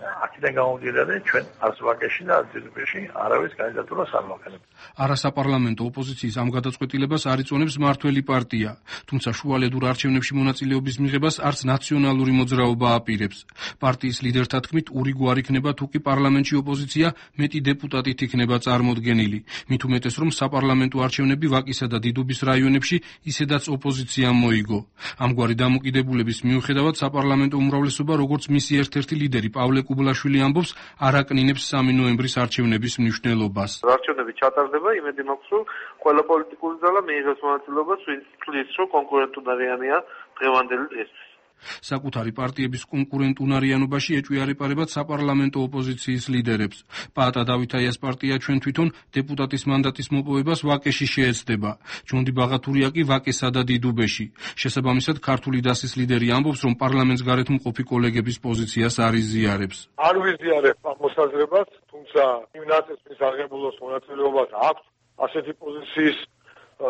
აქედან გამომდინარე, ჩვენ არც ვაკეში და არც დიდუბეში არავის კანდიდატურას არ მოვქენებთ. არასაპარლამენტო ოპოზიციის ამ გადაწყვეტილებას არ იწონებს მმართველი პარტია, თუმცა შუალედურ არჩევნებში მონაწილეობის მიღებას არც ნაციონალური მოძრაობა აპირებს. პარტიის ლიდერთა თქმით, ურიგო არ იქნება თუ კი პარლამენტში ოპოზიცია მეტი დეპუტატით იქნება წარმოდგენილი. მით უმეტეს, რომ საპარლამენტო არჩევნები ვაკისა და დიდუბის რაიონებში ისედაც ოპოზიციამ მოიგო. ამგვარი დამოკიდებულების მიუხედავად საპარლამენტო უმრავლესობა, როგორც მისი ერთ-ერთი ლიდერი პავლე კუბლაშვილი ამბობს, არ აკნინებს 3 ნოემბრის არჩევნების მნიშვნელობას. არჩევნები ჩატარდება, იმედი მაქვს, რომ ყველა პოლიტიკური ძალა მიიღებს მონაწილეობას, ვინც თვლის, რომ კონკურენტუნარიანია დღევანდელი დღესთვის. საკუთარი პარტიების კონკურენტუნარიანობაში ეჭვიარეპარებად საპარლამენტო ოპოზიციის ლიდერებს. პაატა დავითაიას პარტია ჩვენ თვითონ დეპუტატის მანდატის მოპოვებას ვაკეში შეეცდება. ჯონდი ბაღათურია კი ვაკესა და დიდუბეში. შესაბამისად, ქართული დასის ლიდერი ამბობს, რომ პარლამენტს გარეთ მყოფი კოლეგების პოზიციას არ იზიარებს. არ ვიზიარებ ამ მოსაზრებას, თუმცა იმ ნაწილს აღებულოს მონაწილეობას აქვს ასეთი პოზიციის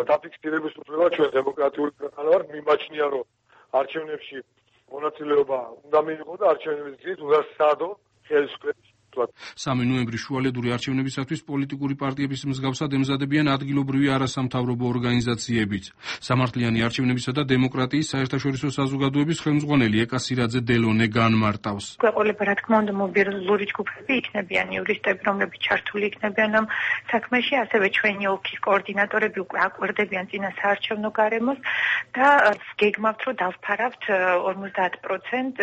დაფიქსირების უფლება. ჩვენ დემოკრატიული ქვეყანა ვართ, მიმაჩნია, რომ არჩევნებში მონაწილეობა უნდა მიიღო და არჩევნების გზით უნდა საადო ხელისუფლების 3 ნოემბრის შუალედური არჩევნებისათვის პოლიტიკური პარტიების მსგავსად ემზადებიან ადგილობრივი არასამთავრობო ორგანიზაციებიც. სამართლიანი არჩევნებისა და დემოკრატიის საერთაშორისო საზოგადოების ხელმძღვანელი ეკასირაძე დელონე განმარტავს. გვეყოლება რა თქმა უნდა მობილური ჯგუფები იქნებიან, იურისტები, რომლებიც ჩართული იქნებიან ამ საქმეში, ასევე ჩვენი ოლქის კოორდინატორები უკვე აკვირდებიან წინა საარჩევნო გარემოს და გეგმავთ, რომ დავფარავთ 50%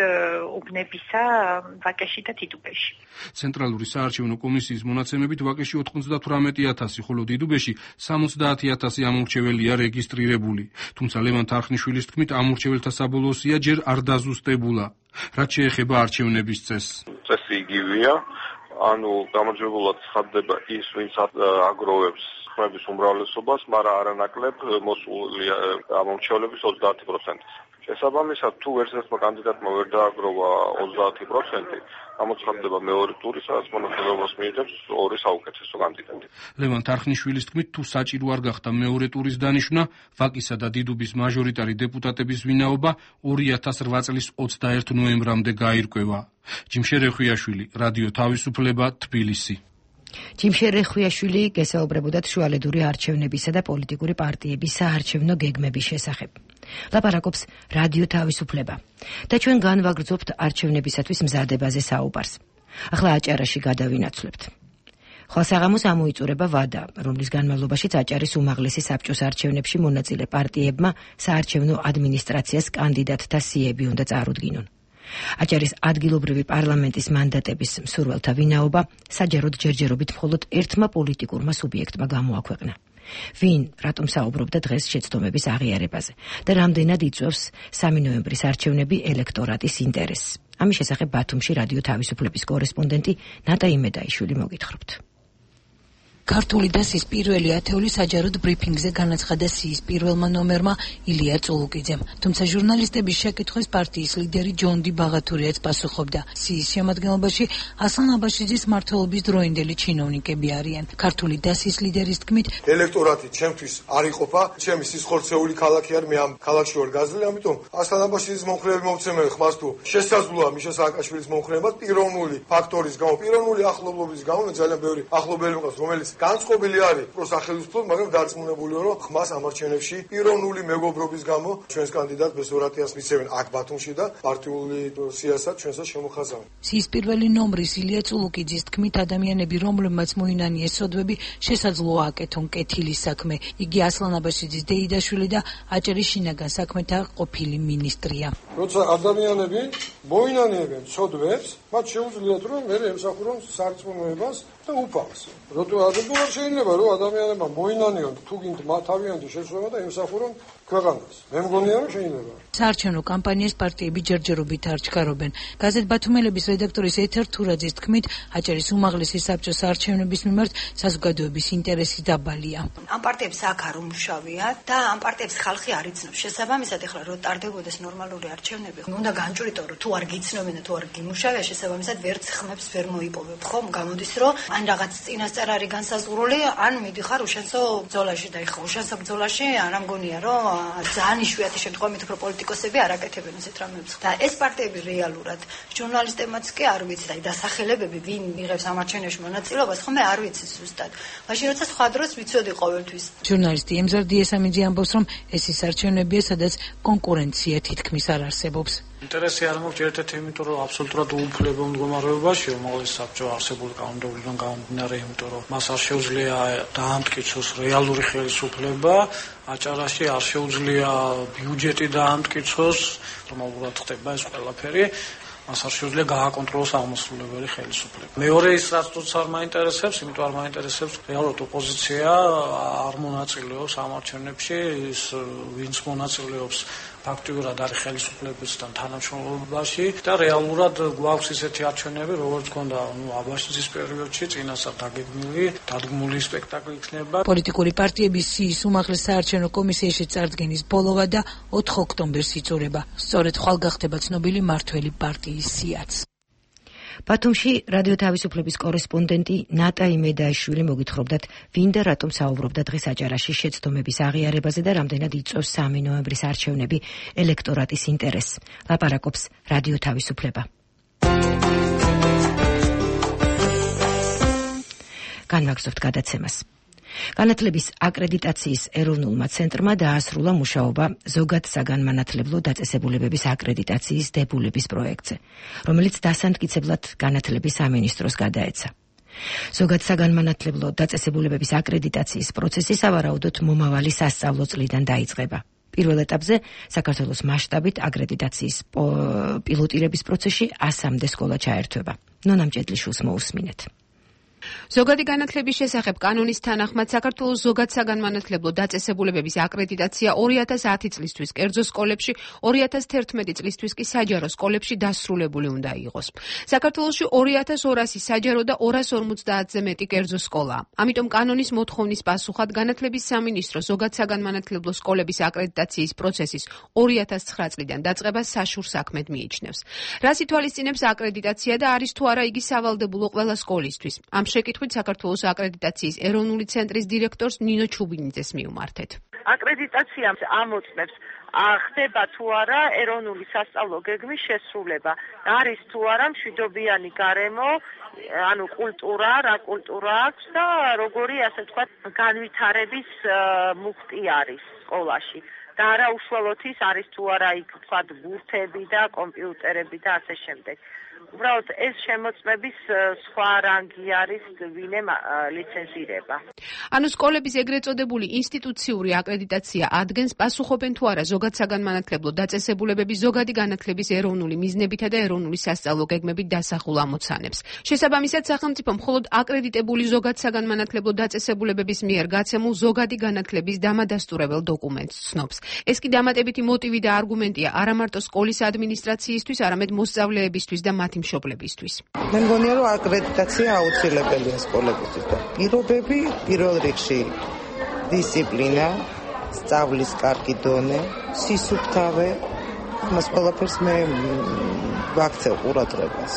უბნებისა ვაკეში და დიდუბეში. ცენტრალური საარჩევნო კომისიის მონაცემებით ვაკეში 98,000, ხოლო დიდუბეში 70,000 ამორჩეველია რეგისტრირებული. თუმცა ლევან თარხნიშვილის თქმით, ამორჩეველთა საბოლოო სია ჯერ არ დაზუსტებულა. რაც შეეხება არჩევნების წესს. წესი იგივეა, ანუ გამარჯვებულად ცხადდება ის, ვინც აგროვებს ხმების უმრავლესობას, მაგრამ არანაკლებ მოსული ამორჩევლების 30%. შესაბამისად, თუ ერთ-ერთმა კანდიდატმა ვერ დააგროვა 30%, გამოცხადდება მეორე ტური, სადაც მონაწილეობას მიიღებს ორი საუკეთესო კანდიდატი. ლევან თარხნიშვილის თქმით, თუ საჭირო არ გახდა მეორე ტურის დანიშვნა, ვაკისა და დიდუბის მაჟორიტარი დეპუტატების ვინაობა 2008 წლის 21 ნოემბრამდე გაირკვევა. ჯიმშერ რეხვიაშვილი, რადიო თავისუფლება, თბილისი. ჯიმშერ რეხვიაშვილი გესაუბრებოდათ შუალედური არჩევნებისა და პოლიტიკური პარტიების საარჩევნო გეგმების შესახებ. ლაპარაკობს რადიო თავისუფლება და ჩვენ განვაგრძობთ არჩევნებისათვის მზადებაზე საუბარს. ახლა აჭარაში გადავინაცვლებთ. ხალხსაღამოს ამოიწურება ვადა, რომლის განმავლობაშიც აჭარის უმაღლესი საბჭოს არჩევნებში მონაწილე პარტიებმა საარჩევნო ადმინისტრაციას კანდიდატთა სიები უნდა წარუდგინონ. აჭარის ადგილობრივი პარლამენტის მანდატების მსურველთა ვინაობა საჯაროდ ჯერჯერობით მხოლოდ ერთმა პოლიტიკურმა სუბიექტმა გამოაქვეყნა. ვინ რატომ საუბრობდა დღეს შეცდომების აღიარებაზე და რამდენად იწვევს 3 ნოემბრის არჩევნები ელექტორატის ინტერესს. ამის შესახებ ბათუმში რადიო თავისუფლების კორესპონდენტი ნატა იმედაიშვილი მოგითხრობთ. ქართული დასის პირველი ათეული საჯაროდ ბრიფინგზე განაცხადა სიის პირველმა ნომერმა ილია წულუკიძემ. თუმცა ჟურნალისტების შეკითხვას პარტიის ლიდერი ჯონდი ბაღათურიაც პასუხობდა. სიის შემადგენლობაში ასლან აბაშიძის მმართველობის დროინდელი ჩინოვნიკები არიან. ქართული დასის ლიდერის თქმით, ელექტორატი ჩემთვის არ იყოფა, ჩემი სისხლცეული ქალაქი არ, მე ამ ქალაქში ვარ გაზრდილი, ამიტომ ასლან აბაშიძის მომხრეები მომცემენ ხმას თუ შესაძლოა მიშა სააკაშვილის მომხრეება პიროვნული ფაქტორის გამო, პიროვნული ახლობლობის გამო, მე ძალიან ბევრი ახლობელი მყავს, რომელიც განწყობილი არის პროსახელისფლოდ, მაგრამ დარწმუნებულია, რომ ხმას ამარჩევნებში პიროვნული მეგობრობის გამო ჩვენს კანდიდატ ბესორატიას მიცემენ აქ ბათუმში და პარტიული სიასაც ჩვენსაც შემოხაზავენ. სიის პირველი ნომრის ილია წულუკიძის თქმით, ადამიანები, რომლებმაც მოინანიეს სოდვები, შესაძლოა აკეთონ კეთილის საქმე. იგი ასლან აბაშიძის დეიდაშვილი და აჭარის შინაგან საქმეთა ყოფილი მინისტრია. როცა ადამიანები მოინანიებენ სოდვებს, მათ შეუძლიათ რომ მე ემსახურონ სარწმუნოებას და უფალს. რატომ შეიძლება რომ ადამიანებმა მოინანიონ თუ გინდ თავიანთი შეცდომა და ემსახურონ ქვეყანას. მე მგონია რომ შეიძლება. საარჩევნო კამპანიას პარტიები ჯერჯერობით არ ჩქარობენ. გაზეთ ბათუმელების რედაქტორის ეთერ თურაძის თქმით, აჭარის უმაღლესი საბჭოს არჩევნების მიმართ საზოგადოების ინტერესი დაბალია. ამ პარტიებს აქ არ უმუშავია და ამ პარტიებს ხალხი არ იცნობს. შესაბამისად, ეხლა რო ტარდებოდეს ნორმალური არჩევნები, უნდა განჭვრიტო რომ თუ არ გიცნობენ და თუ არ გიმუშავია, შესაბამისად ვერც ხმებს ვერ მოიპოვებ. ხომ გამოდის რომ ან რაღაც წინასწარ არის განსაზღვრული, ან მიდიხარ უშენსო ბრძოლაში და ეხლა უშენსო ბრძოლაში არ ამგონია რომ ძალიან იშვიათი შემთხვევით უფრო პოლიტიკოსები არ აკეთებენ ესეთ რამებს. და ეს პარტიები რეალურად ჟურნალისტებმაც კი არ ვიცი და დასახელებები ვინ იღებს ამარჩევნებში მონაწილეობას, ხომ არ ვიცი ზუსტად. მაშინ როცა სხვა დროს ვიცოდი ყოველთვის. ჟურნალისტი ემზარდი ესამიძე ამბობს, რომ ეს ის არჩევნებია, სადაც კონკურენცია თითქმის არ არსებობს. ინტერესი არ მაქვს ერთ-ერთი, იმიტომ რომ აბსოლუტურად უუფლებო მდგომარეობაში უმაღლესი საბჭო არსებული კანონმდებლობიდან გამომდინარე, იმიტომ რომ მას არ შეუძლია დაამტკიცოს რეალური ხელისუფლება, აჭარაში არ შეუძლია ბიუჯეტი დაამტკიცოს, რომელურად ხდება ეს ყველაფერი. მას არ შეუძლია გააკონტროლოს აღმასრულებელი ხელისუფლება. მეორე ის რაც თუცა არ მაინტერესებს, იმიტომ არ მაინტერესებს რეალურად ოპოზიცია არ მონაწილეობს ამარჩევნებში, ის ვინც მონაწილეობს ფაქტიურად არის ხელისუფლებასთან თანამშრომლობაში და რეალურად გვაქვს ისეთი არჩევნები, როგორც გქონდა აბაშიძის პერიოდში, წინასწარ დადგმული სპექტაკლი იქნება. პოლიტიკური პარტიების სიის უმაღლეს საარჩევნო კომისიაში წარდგენის ბოლოვა და 4 ოქტომბერს იწურება. სწორედ ხვალ გახდება ცნობილი მართველი პარტიის სიაც. ბათუმში რადიო თავისუფლების კორესპონდენტი ნატა იმედაიშვილი მოგითხრობდათ, ვინ და რატომ საუბრობდა დღეს აჭარაში შეცდომების აღიარებაზე და რამდენად იწვევს 3 ნოემბრის არჩევნები ელექტორატის ინტერესს. ლაპარაკობს რადიო თავისუფლება. განვაგრძობთ გადაცემას. განათლების აკრედიტაციის ეროვნულმა ცენტრმა დაასრულა მუშაობა ზოგად საგანმანათლებლო დაწესებულებების აკრედიტაციის დებულების პროექტზე, რომელიც დასამტკიცებლად განათლების სამინისტროს გადაეცა. ზოგად საგანმანათლებლო დაწესებულებების აკრედიტაციის პროცესი სავარაუდოდ მომავალი სასწავლო წლიდან დაიწყება. პირველ ეტაპზე საქართველოს მასშტაბით აკრედიტაციის პილოტირების პროცესში 100-მდე სკოლა ჩაერთვება. ნონა მჭედლიშვილს მოусმინეთ. ზოგადი განათლების შესახებ კანონის თანახმად საქართველოს ზოგად საგანმანათლებლო დაწესებულებების აკრედიტაცია 2010 წლისთვის კერძო სკოლებში, 2011 წლისთვის კი საჯარო სკოლებში დასრულებული უნდა იყოს. საქართველოში 2200 საჯარო და 250-ზე მეტი კერძო სკოლაა. ამიტომ კანონის მოთხოვნის პასუხად განათლების სამინისტრო ზოგად საგანმანათლებლო სკოლების აკრედიტაციის პროცესის 2009 წლიდან დაწყებას საშურ საქმედ მიიჩნევს. რას ითვალისწინებს აკრედიტაცია და არის თუ არა იგი სავალდებულო ყველა სკოლისთვის? ამ შეკითხვით საქართველოს აკრედიტაციის ეროვნული ცენტრის დირექტორს ნინო ჩუბინიძეს მივმართეთ. აკრედიტაცია ამოწმებს ხდება თუ არა ეროვნული სასწავლო გეგმის შესრულება. არის თუ არა მშვიდობიანი გარემო, ანუ კულტურა, რა კულტურა აქვს და როგორი ასე თქვა განვითარების მუხტი არის სკოლაში. და არა უშუალოდ ის არის თუ არა იქ თქვა ბურთები და კომპიუტერები და ასე შემდეგ. უბრალოდ ეს შემოწმების სხვა რანგი არის ვინემ ლიცენზირება. ანუ სკოლების ეგრეთ წოდებული ინსტიტუციური აკრედიტაცია ადგენს პასუხობენ თუ არა ზოგად საგანმანათლებლო დაწესებულებების ზოგადი განათლების ეროვნული მიზნებითა და ეროვნული სასწავლო გეგმებით დასახულ ამოცანებს. შესაბამისად სახელმწიფო მხოლოდ აკრედიტებული ზოგად საგანმანათლებლო დაწესებულებების მიერ გაცემულ ზოგადი განათლების დამადასტურებელ დოკუმენტს ცნობს. ეს კი დამატებითი მოტივი და არგუმენტია არა მარტო სკოლის ადმინისტრაციისთვის, არამედ მოსწავლეებისთვის და მათი მშობლებისთვის. მე მგონია რომ აკრედიტაცია აუცილებელია სკოლებისთვის და პირობები პირველ რიგში დისციპლინა, სწავლის კარგი დონე, სისუფთავე, მას ყველაფერს მე ვაქცევ ყურადღებას.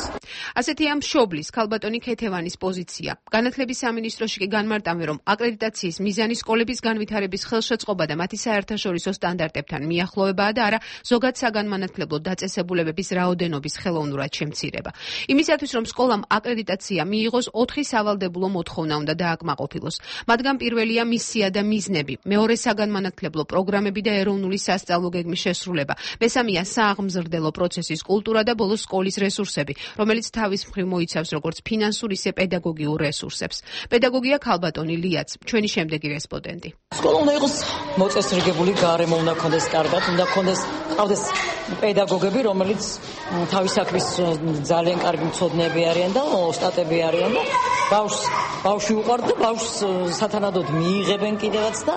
ასეთია მშობლის ქალბატონი ქეთევანის პოზიცია. განათლების სამინისტროში კი განმარტავენ, რომ აკრედიტაციის მიზანი სკოლების განვითარების ხელშეწყობა და მათი საერთაშორისო სტანდარტებთან მიახლოვებაა და არა ზოგად საგანმანათლებლო დაწესებულებების რაოდენობის ხელოვნურად შემცირება. იმისათვის, რომ სკოლამ აკრედიტაცია მიიღოს, 4 სავალდებულო მოთხოვნა უნდა დააკმაყოფილოს. მათგან პირველია მისია და მიზნები, მეორე საგანმანათლებლო პროგრამები და ეროვნული სასწავლო გეგმის შესრულება, მესამეა სააღმზრდელო პროცესის კულტურა და ბოლოს სკოლის რესურსები, რომელიც თავის მხრივ მოიცავს როგორც ფინანსურ, ისე პედაგოგიურ რესურსებს. პედაგოგია ქალბატონი ლიაც, ჩვენი შემდეგი რესპონდენტი. სკოლა უნდა იყოს მოწესრიგებული გარემო, უნდა ქონდეს კარგად, უნდა ყავდეს პედაგოგები, რომელიც თავის საქმის ძალიან კარგი მცოდნეები არიან და ოსტატები არიან და ბავშვი უყვართ და ბავშვს სათანადოდ მიიღებენ კიდევაც და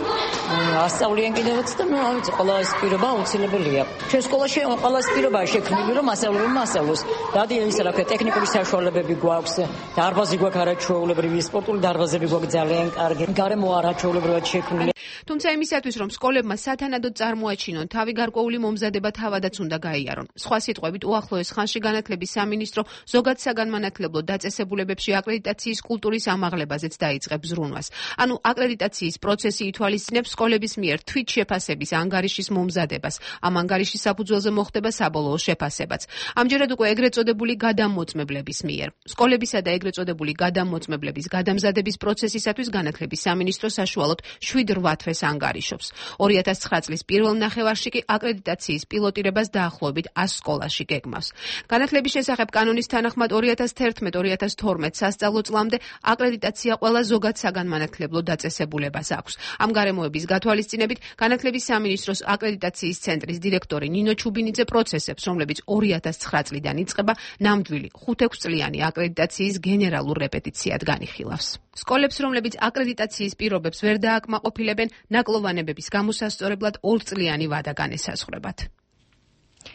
ასწავლიან კიდევაც და რა ვიცი, ყველა ეს პირობა აუცილებელია. ჩვენ სკოლაში ყველა ეს პირობაა შექმნილი, რომ მასწავლებელმა ასწავლოს. დადიან ისა რა ქვია, ტექნიკური საშუალებები გვაქვს, დარბაზი გვაქვს არაჩვეულებრივი, სპორტული დარბაზები გვაქვს ძალიან კარგი. გარემო არაჩვეულებრივად შექმნილი. თუმცა იმისათვის, რომ სკოლებმა სათანადოდ წარმოაჩინონ თავი გარკვეული მომზადება თავადაც უნდა გაიარონ. სხვა სიტყვებით, უახლოეს ხანში განათლების სამინისტრო ზოგად საგანმანათლებლო დაწესებულებებში აკრედიტაციის კულტურის ამაღლებაზეც დაიწყებს ზრუნვას. ანუ აკრედიტაციის პროცესი ითვალისწინებს სკოლების მიერ თვით შეფასების ანგარიშის მომზადებას. ამ ანგარიშის საფუძველზე მოხდება საბოლოო შეფასებაც. ამჯერად უკვე ეგრეთ წოდებული გადამოწმებლების მიერ. სკოლებისა და ეგრეთ წოდებული გადამოწმებლების გადამზადების პროცესისათვის განათლების სამინისტრო საშუალოდ 7-8 თვეს ანგარიშობს. 2009 წლის პირველ ნახევარში კი აკრედიტაციის პილოტირებას დაახლოებით 100 სკოლაში გეგმავს. განათლების შესახებ კანონის თანახმად 2011-2012 სასწავლო წლამდე აკრედიტაცია ყველა ზოგად საგანმანათლებლო დაწესებულებას აქვს. ამ გარემოების გათვალისწინებით განათლების სამინისტროს აკრედიტაციის ცენტრის დირექტორი ნინო ჩუბინიძე პროცესებს, რომლებიც 2009 წლიდან იწყება, ნამდვილი 5-6 წლიანი აკრედიტაციის გენერალურ რეპეტიციად განიხილავს. სკოლებს, რომლებიც აკრედიტაციის პირობებს ვერ დააკმაყოფილებენ, ნაკლოვანებების გამოსასწორებლად 2 წლიანი ვადა განესაზღვრებათ.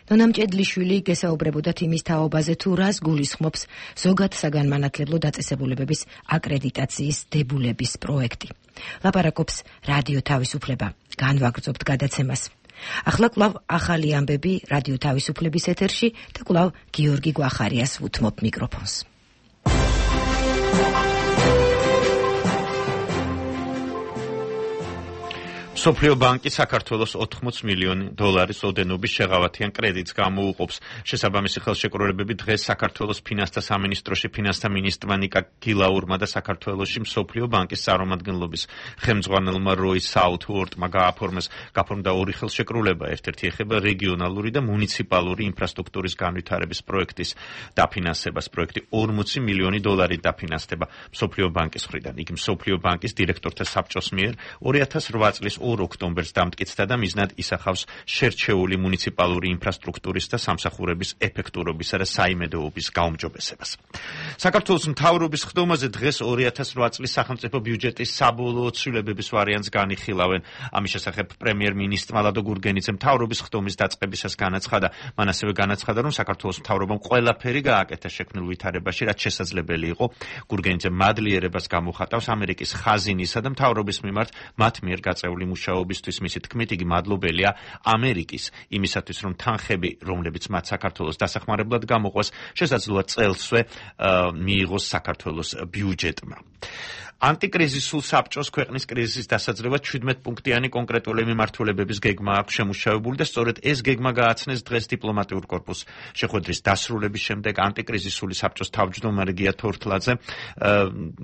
ნონა მჭედლიშვილი გესაუბრებოდათ იმის თაობაზე, თუ რას გულისხმობს ზოგად საგანმანათლებლო დაწესებულებების აკრედიტაციის დებულების პროექტი. ლაპარაკობს რადიო თავისუფლება. განვაგრძობთ გადაცემას. ახლა კვლავ ახალი ამბები რადიო თავისუფლების ეთერში და კვლავ გიორგი გვახარიას უთმობ მიკროფონს. მსოფლიო ბანკი საქართველოს 80 მილიონი დოლარის ოდენობის შეღავათიან კრედიტს გამოუყოფს. შესაბამისი ხელშეკრულებები დღეს საქართველოს ფინანსთა სამინისტროში ფინანსთა მინისტრმა ნიკა გილაურმა და საქართველოში მსოფლიო ბანკის წარმომადგენლობის ხელმძღვანელმა როი საუთუორტმა გააფორმეს. გაფორმდა ორი ხელშეკრულება, ერთ-ერთი ეხება რეგიონალური და მუნიციპალური ინფრასტრუქტურის განვითარების პროექტის დაფინანსებას. პროექტი 40 მილიონი დოლარით დაფინანსდება მსოფლიო ბანკის მხრიდან. იგი მსოფლიო ბანკის დირექტორთა საბჭოს მიერ 2008 წლის 2 ოქტომბერს დამტკიცდა და მიზნად ისახავს შერჩეული მუნიციპალური ინფრასტრუქტურის და სამსახურების ეფექტურობისა და საიმედოობის გაუმჯობესებას. საქართველოს მთავრობის ხდომაზე დღეს 2008 წლის სახელმწიფო ბიუჯეტის საბოლოო ცვლილებების ვარიანტს განიხილავენ. ამის შესახებ პრემიერ-მინისტრმა ლადო გურგენიძემ მთავრობის ხდომის დაწყებისას განაცხადა. მან ასევე განაცხადა, რომ საქართველოს მთავრობამ ყველაფერი გააკეთა შექმნილ ვითარებაში, რაც შესაძლებელი იყო. გურგენიძემ მადლიერებას გამოხატავს ამერიკის ხაზინისა და მთავრობის მიმართ მათ მიერ გაწეული მუშაობისთვის. მისი თქმით, იგი მადლობელია ამერიკის იმისათვის, რომ თანხები, რომლებიც მათ საქართველოს დასახმარებლად გამოყვეს, შესაძლოა წელსვე მიიღოს საქართველოს ბიუჯეტმა. ანტიკრიზისულ საბჭოს ქვეყნის კრიზისის დასაძლევად 17 პუნქტიანი კონკრეტული მიმართულებების გეგმა აქვს შემუშავებული და სწორედ ეს გეგმა გააცნეს დღეს დიპლომატიურ კორპუსს. შეხვედრის დასრულების შემდეგ ანტიკრიზისული საბჭოს თავმჯდომარე გია თორთლაძე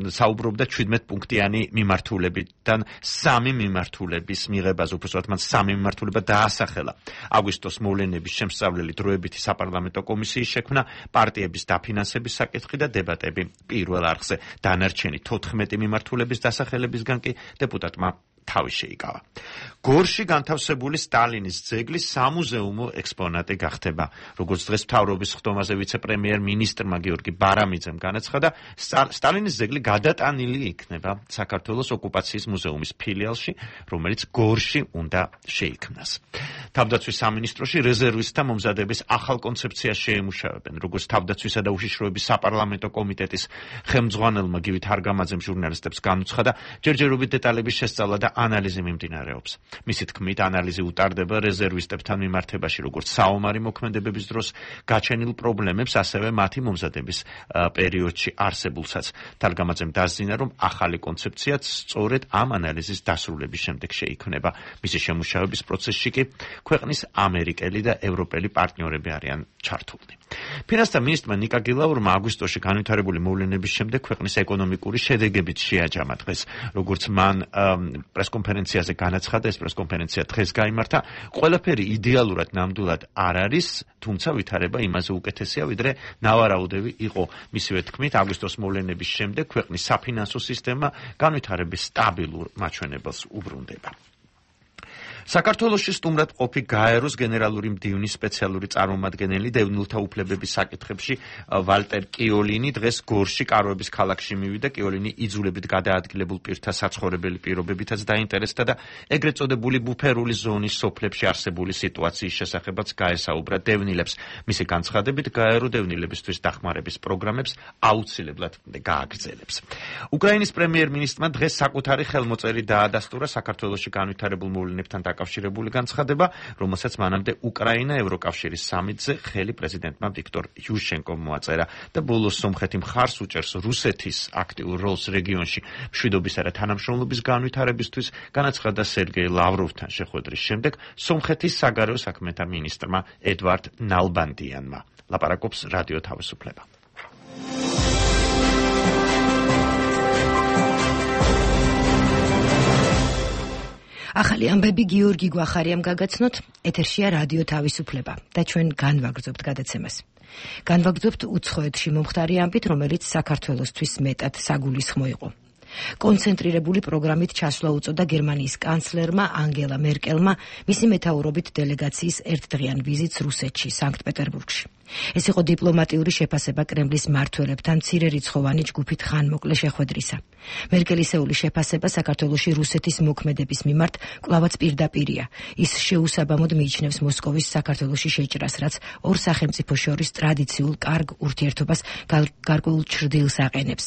საუბრობდა 17 პუნქტიანი მიმართულებიდან 3 მიმართულების მიღებაზე, უბრალოდ მან 3 მიმართულება დაასახელა. აგვისტოს მოვლენების შემსწავლელი დროებითი საპარლამენტო კომისიის შექმნა, პარტიების დაფინანსების საკითხი და დებატები პირველ არხზე. დანარჩენი 14 მიმართულების დასახელებისგან კი დეპუტატმა თავი შეიკავა. გორში განთავსებული სტალინის ძეგლი სამუზეუმო ექსპონატი გახდება. როგორც დღეს მთავრობის ხდომაზე ვიცე-პრემიერ-მინისტრმა გიორგი ბარამიძემ განაცხადა, სტალინის ძეგლი გადატანილი იქნება საქართველოს ოკუპაციის მუზეუმის ფილიალში, რომელიც გორში უნდა შეიქმნას. თავდაცვის სამინისტროში რეზერვისტთა მომზადების ახალ კონცეფციას შეემუშავებენ. როგორც თავდაცვისა და უშიშროების საპარლამენტო კომიტეტის ხელმძღვანელმა გივი თარგამაძემ ჟურნალისტებს განუცხადა, ჯერჯერობით დეტალების შესწავლა და ანალიზი მიმდინარეობს. მისი თქმით, ანალიზი უტარდება რეზერვისტებთან მიმართებაში, როგორც საომარი მოქმედებების დროს გაჩენილ პრობლემებს, ასევე მათი მომზადების პერიოდში არსებულსაც. თარგამაძემ დასძინა, რომ ახალი კონცეფციაც სწორედ ამ ანალიზის დასრულების შემდეგ შეიქმნება. მისი შემუშავების პროცესში კი ქვეყნის ამერიკელი და ევროპელი პარტნიორები არიან ჩართულნი. ფინანსთა მინისტრმა ნიკა გილაურმა აგვისტოში განვითარებული მოვლენების შემდეგ ქვეყნის ეკონომიკური შედეგებით შეაჯამა დღეს. როგორც მან პრესკონფერენციაზე განაცხადა, ეს პრესკონფერენცია დღეს გაიმართა, ყველაფერი იდეალურად ნამდვილად არ არის, თუმცა ვითარება იმაზე უკეთესია, ვიდრე ნავარაუდები იყო. მისივე თქმით, აგვისტოს მოვლენების შემდეგ ქვეყნის საფინანსო სისტემა განვითარების სტაბილურ მაჩვენებელს უბრუნდება. საქართველოში სტუმრად ყოფი გაეროს გენერალური მდივნის სპეციალური წარმომადგენელი დევნილთა უფლებების საკითხებში ვალტერ კიოლინი დღეს გორში კაროების ქალაქში მივიდა. კიოლინი იძულებით გადაადგილებულ პირთა საცხოვრებელი პირობებითაც დაინტერესდა და ეგრეთ წოდებული ბუფერული ზონის სოფლებში არსებული სიტუაციის შესახებაც გაესაუბრა დევნილებს. მისი განცხადებით, გაერო დევნილებისთვის დახმარების პროგრამებს აუცილებლად გააგრძელებს. უკრაინის პრემიერ-მინისტრმა დღეს საკუთარი ხელმოწერი დაადასტურა საქართველოში განვითარებულ მოვლენებთან დაკავშირებული განცხადება, რომელსაც მანამდე უკრაინა ევროკავშირის სამიტზე ხელი პრეზიდენტმა ვიქტორ იუშენკომ მოაწერა და ბოლოს სომხეთი მხარს უჭერს რუსეთის აქტიურ როლს რეგიონში მშვიდობისა და თანამშრომლობის განვითარებისთვის, განაცხადა სერგეი ლავროვთან შეხვედრის შემდეგ სომხეთის საგარეო საქმეთა მინისტრმა ედვარდ ნალბანდიანმა. ლაპარაკობს რადიო თავისუფლება. ახალი ამბები გიორგი გვახარიამ გაგაცნოთ, ეთერშია რადიო თავისუფლება და ჩვენ განვაგრძობთ გადაცემას. განვაგრძობთ უცხოეთში მომხდარი ამბით, რომელიც საქართველოსთვის მეტად საგულისხმო იყო. კონცენტრირებული პროგრამით ჩასვლა უწოდა გერმანიის კანცლერმა ანგელა მერკელმა მისი მეთაურობით დელეგაციის ერთდღიან ვიზიტს რუსეთში, სანქტ-პეტერბურგში. ეს იყო დიპლომატიური შეფასება კრემლის მმართველებთან მცირერიცხოვანი ჯგუფით ხანმოკლე შეხვედრისა. მერკელისეული შეფასება საქართველოში რუსეთის მოქმედების მიმართ კვლავაც პირდაპირია. ის შეუსაბამოდ მიიჩნევს მოსკოვის საქართველოში შეჭრას, რაც ორ სახელმწიფოს შორის ტრადიციულ კარგ ურთიერთობას გარკვეულ ჩრდილს აყენებს.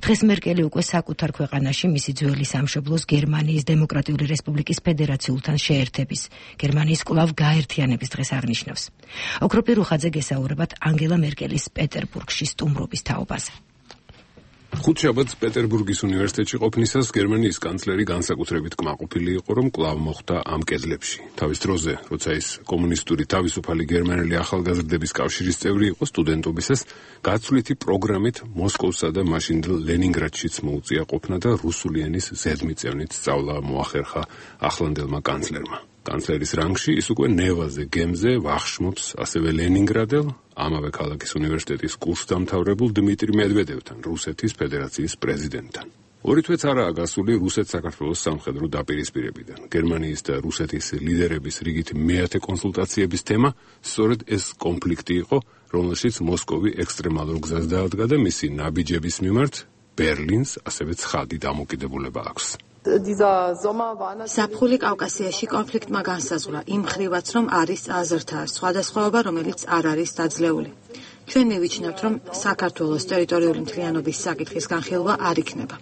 დღეს მერკელი უკვე საკუთარ ქვეყანაში მისი ძველი სამშობლოს გერმანიის დემოკრატიული რესპუბლიკის ფედერაციულთან შეერთების, გერმანიის კვლავ გაერთიანების დღეს აღნიშნავს. ოქროპირუხაძე გესაუბრებათ ანგელა მერკელის პეტერბურგში სტუმრობის თაობაზე. ხუთშაბათს პეტერბურგის უნივერსიტეტში ყოფნისას გერმანიის კანცლერი განსაკუთრებით კმაყოფილი იყო, რომ კვლავ მოხვდა ამ კედლებში. თავის დროზე, როცა ის კომუნისტური თავისუფალი გერმანელი ახალგაზრდების კავშირის წევრი იყო სტუდენტობისას, გაცვლითი პროგრამით მოსკოვსა და მაშინდელ ლენინგრადშიც მოუწია ყოფნა და რუსული ენის ზედმიწევნით სწავლა მოახერხა ახლანდელმა კანცლერმა. კანცლერის რანგში ის უკვე ნევაზე, გემზე ვახშმობს ასევე ლენინგრადელ, ამავე ქალაქის უნივერსიტეტის კურსდამთავრებულ დმიტრი მედვედევთან, რუსეთის ფედერაციის პრეზიდენტთან. ორი თვეც არაა გასული რუსეთ-საქართველოს სამხედრო დაპირისპირებიდან. გერმანიის და რუსეთის ლიდერების რიგით მეათე კონსულტაციების თემა სწორედ ეს კონფლიქტი იყო, რომელშიც მოსკოვი ექსტრემალურ გზას დაადგა და მისი ნაბიჯების მიმართ ბერლინს ასევე ცხადი დამოკიდებულება აქვს. ზაფხული კავკასიაში კონფლიქტმა განსაზღვრა იმ მხრივაც, რომ არის აზრთა სხვადასხვაობა, რომელიც არ არის დაძლეული. ჩვენ მივიჩნევთ, რომ საქართველოს ტერიტორიული მთლიანობის საკითხის განხილვა არ იქნება.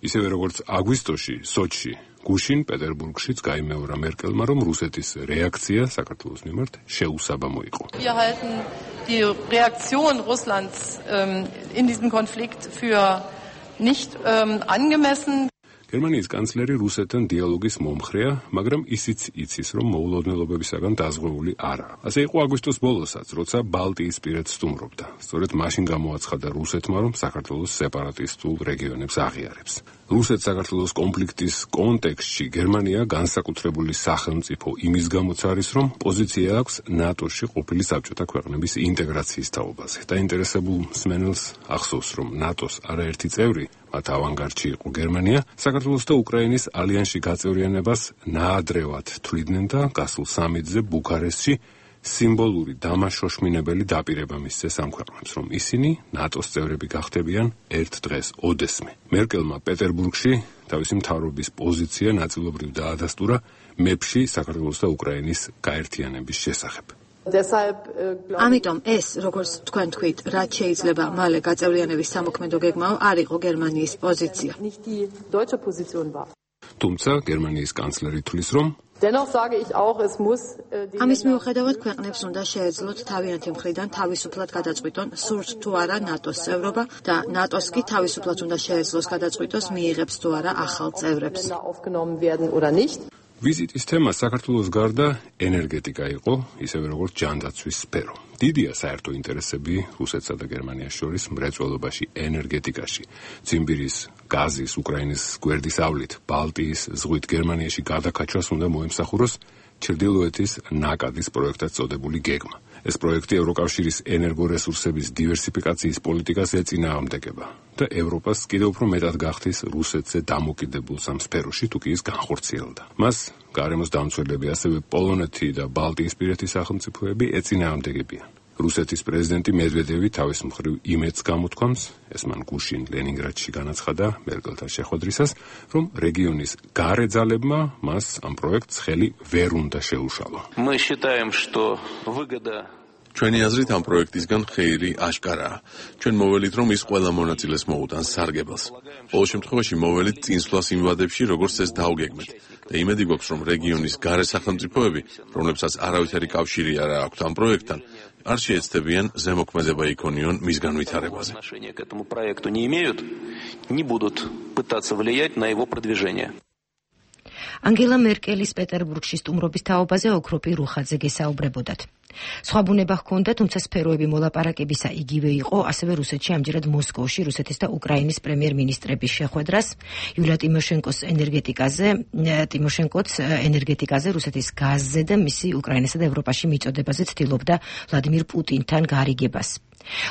ისევე როგორც აგვისტოში, სოჩში, გუშინ პეტერბურგშიც გაიმეორა მერკელმა, რომ რუსეთის რეაქცია საქართველოს მიმართ შეუსაბამო იყო. Wir halten die Reaktion Russlands in diesem Konflikt für nicht angemessen. გერმანიის კანცლერი რუსეთთან დიალოგის მომხრეა, მაგრამ ისიც იცის, რომ მოულოდნელობებისაგან დაზღვეული არაა. ასე იყო აგვისტოს ბოლოსაც, როცა ბალტიისპირეთს სტუმრობდა. სწორედ მაშინ გამოაცხადა რუსეთმა, რომ საქართველოს სეპარატისტულ რეგიონებს აღიარებს. რუსეთ-საქართველოს კონფლიქტის კონტექსტში გერმანია განსაკუთრებული სახელმწიფო იმის გამოც არის, რომ პოზიცია აქვს ნატოში ყოფილი საბჭოთა ქვეყნების ინტეგრაციის თაობაზე. დაინტერესებულ მსმენელს ახსოვს, რომ ნატოს არაერთი წევრი, მათ ავანგარდში იყო გერმანია, საქართველოს და უკრაინის ალიანსში გაწევრიანებას ნაადრევად თვლიდნენ და გასულ სამედზე ბუქარესტში სიმბოლური დამაშოშმინებელი დაპირება მისცეს ამ ქვეყნებს, რომ ისინი ნატოს წევრები გახდებიან ერთ დღეს ოდესმე. მერკელმა პეტერბურგში თავისი მთავრობის პოზიცია ნაწილობრივ დაადასტურა მეფში საქართველოს და უკრაინის გაერთიანების შესახებ. ამიტომ ეს, როგორც თქვენ თქვით, რაც შეიძლება მალე გაწევრიანების სამოქმედო გეგმაო, არ იყო გერმანიის პოზიცია. თუმცა გერმანიის კანცლერი თვლის, რომ ამის მიუხედავად ქვეყნებს უნდა შეეძლოთ თავიანთი მხრიდან თავისუფლად გადაწყვიტონ, სურთ თუ არა ნატოს წევრობა და ნატოს კი თავისუფლად უნდა შეეძლოს გადაწყვიტოს, მიიღებს თუ არა ახალ წევრებს. ვიზიტის თემა საქართველოს გარდა ენერგეტიკა იყო, ისევე როგორც ჯანდაცვის სფერო. დიდია საერთო ინტერესები რუსეთსა და გერმანიას შორის მრეწველობაში, ენერგეტიკაში. ციმბირის, გაზის, უკრაინის გვერდის ავლით, ბალტიის ზღვით გერმანიაში გადაკაჩვას უნდა მოემსახუროს ჩრდილოეთის ნაკადის პროექტად წოდებული გეგმა. ეს პროექტი ევროკავშირის ენერგორესურსების დივერსიფიკაციის პოლიტიკას ეწინააღმდეგება და ევროპას კიდევ უფრო მეტად გახდის რუსეთზე დამოკიდებულ სამ სფეროში, თუ კი ის განხორციელდა. მას გარემოს დამცველები, ასევე პოლონეთი და ბალტიისპირეთის სახელმწიფოები ეწინააღმდეგებიან. რუსეთის პრეზიდენტი მედვედევი თავის მხრივ იმედს გამოთქვამს, ეს მან გუშინ ლენინგრადში განაცხადა მერკელთან შეხვედრისას, რომ რეგიონის გარე ძალებმა მას ამ პროექტს ხელი ვერ უნდა შეუშალო. Мы считаем, что выгода ჩვენი აზრით ამ პროექტისგან ხეირი აშკარაა. ჩვენ მოველით, რომ ის ყველა მონაწილეს მოუტანს სარგებელს. ყოველ შემთხვევაში მოველით წინსვლას იმ ვადებში, როგორც ეს დაუგეგმეთ. და იმედი გვაქვს, რომ რეგიონის გარე სახელმწიფოები, რომლებსაც არავითარი კავშირი არ აქვთ ამ პროექტთან, არ შეეცდებიან ზემოქმედება იქონიონ მის განვითარებაზე. к этому проекту не имеют, не будут пытаться влиять на его продвижение. ანგელა მერკელის პეტერბურგში სტუმრობის თაობაზე ოქროპი რუხაძე გესაუბრებოდათ. სხვა ბუნება ჰქონდა, თუმცა სფეროები მოლაპარაკებისა იგივე იყო, ასევე რუსეთში ამჯერად მოსკოვში რუსეთის და უკრაინის პრემიერ-მინისტრების შეხვედრას, იულია ტიმოშენკოც ენერგეტიკაზე, რუსეთის გაზზე და მისი უკრაინასა და ევროპაში მიწოდებაზე ცდილობდა ვლადიმირ პუტინთან გარიგებას.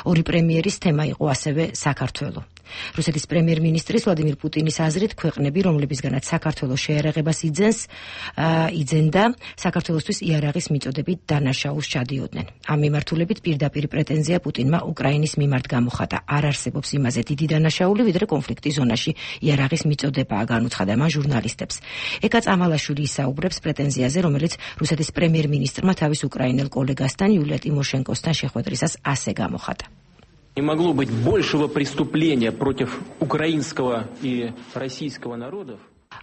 ორი პრემიერის თემა იყო ასევე საქართველო. რუსეთის პრემიერ-მინისტრის ვლადიმირ პუტინის აზრით, ქვეყნები, რომლებისგანაც საქართველოს შეერაღებას იძენდა, საქართველოსთვის იარაღის მიწოდებით დანაშაულს ჩადიოდნენ. ამ მიმართულებით პირდაპირ პრეტენზია პუტინმა უკრაინის მიმართ გამოხატა. არ არსებობს იმაზე დიდი დანაშაული, ვიდრე კონფლიქტის ზონაში იარაღის მიწოდებაა, განუცხადა მან ჟურნალისტებს. ეკა წამალაშვილი ისაუბრებს პრეტენზიაზე, რომელიც რუსეთის პრემიერ-მინისტრმა თავის უკრაინელ კოლეგასთან, იულია ტიმოშენკოსთან შეხვედრისას ასე გამოხატა. Не могло быть большего преступления против украинского и российского народов.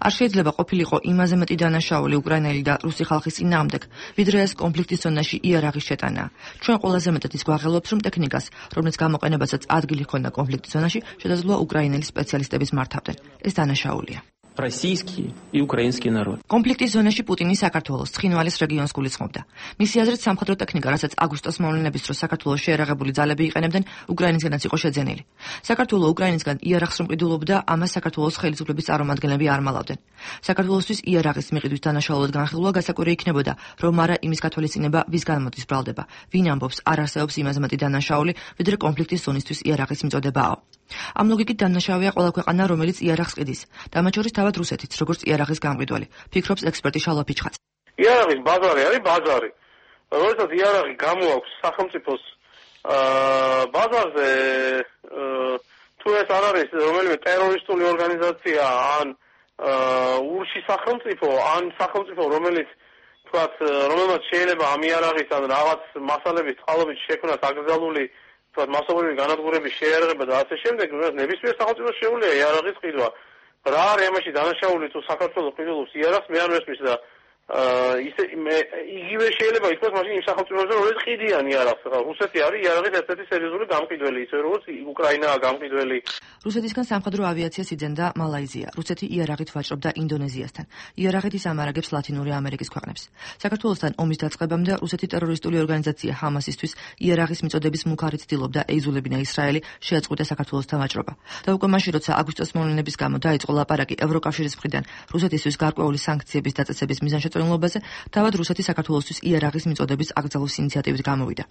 არ შეიძლება ყოფილიყო იმაზე მეტი დანაშაული უკრაინელი და რუსი ხალხის წინააღმდეგ, ვიდრე ეს კონფლიქტის ზონაში იარაღის შეტანაა. ჩვენ ყველაზე მეტად ის გვაღელვებს, რომ ტექნიკას, რომლის გამოყენებასაც ადგილი ჰქონდა კონფლიქტის ზონაში, შესაძლოა უკრაინელი სპეციალისტების მართავდნენ. ეს დანაშაულია. Российский и украинский народ. კონფლიქტის ზონაში პუტინი საქართველოს ცხინვალის რეგიონს გულისხმობდა. მისი აზრით სამხედრო ტექნიკა, რასაც აგვისტოს მოვლენების დროს საქართველოს შეერაღებული ძალები იყენებდნენ, უკრაინისგანაც იყო შეძენილი. საქართველოს უკრაინისგან იარაღს რომ ყიდულობდა, ამას საქართველოს ხელისუფლების წარმომადგენლები არ მალავდნენ. საქართველოსთვის იარაღის მიყიდვის დანაშაულად განხილვა გასაკვირი იქნებოდა, რომ არა იმის გათვალისწინება, ვის განმოდის ბრალდება. ვინ ამბობს, არ არსებობს იმაზე მეტი დანაშაული, ვიდრე კონფლიქტის ზონისთვის იარაღის მიწოდებაო. ამ ლოგიკით დანაშაულია ყველა ქვეყანა, რომელიც იარაღს ყიდის. და მათ შორის თავად რუსეთიც, როგორც იარაღის გამყიდველი, ფიქრობს ექსპერტი შალვა ფიჩხაც. იარაღის ბაზარი არის ბაზარი. როდესაც იარაღი გამოაქვს სახელმწიფოს ბაზარზე, თუ ეს არ არის რომელიმე ტერორისტული ორგანიზაცია, ან ურში სახელმწიფო, ან სახელმწიფო, რომელიც რომელმაც შეიძლება ამ იარაღის ან რაღაც მასალების წყალობით შექმნას აკრძალული მასობრივი განადგურების შეიარაღება და ასე შემდეგ, ნებისმიერ სახელმწიფოს შეუძლია იარაღის ყიდვა. რა არის ამაში დანაშაული თუ საქართველოს ყიდულობს იარაღს, მე არ მესმის და იგივე შეიძლება ითქვას მაშინ იმ სახელმწიფოებზე, რომელიც ყიდიან იარაღს. რუსეთი არის იარაღის ერთ-ერთი სერიოზული გამყიდველი, ისე როგორც უკრაინაა გამყიდველი. რუსეთისგან სამხედრო ავიაციას იძენდა მალაიზია. რუსეთი იარაღით ვაჭრობდა ინდონეზიასთან. იარაღით ის ამარაგებს ლათინური ამერიკის ქვეყნებს. საქართველოსთან ომის დაწყებამდე რუსეთი ტერორისტული ორგანიზაცია ჰამასისთვის იარაღის მიწოდების მუქარით ცდილობდა ეიზულებინა ისრაელი, შეაწყვიტა საქართველოსთან ვაჭრობა. და უკვე მაშინ, როცა აგვისტოს მოვლენების გამო დაიწყო ლაპარაკი ევროკავშირის მხრიდან რუსეთისთვის გარკვეული სანქციების დაწესების მიზანშეწონილობაზე, თავად რუსეთი საქართველოსთვის იარაღის მიწოდების აკრძალვის ინიციატივით გამოვიდა.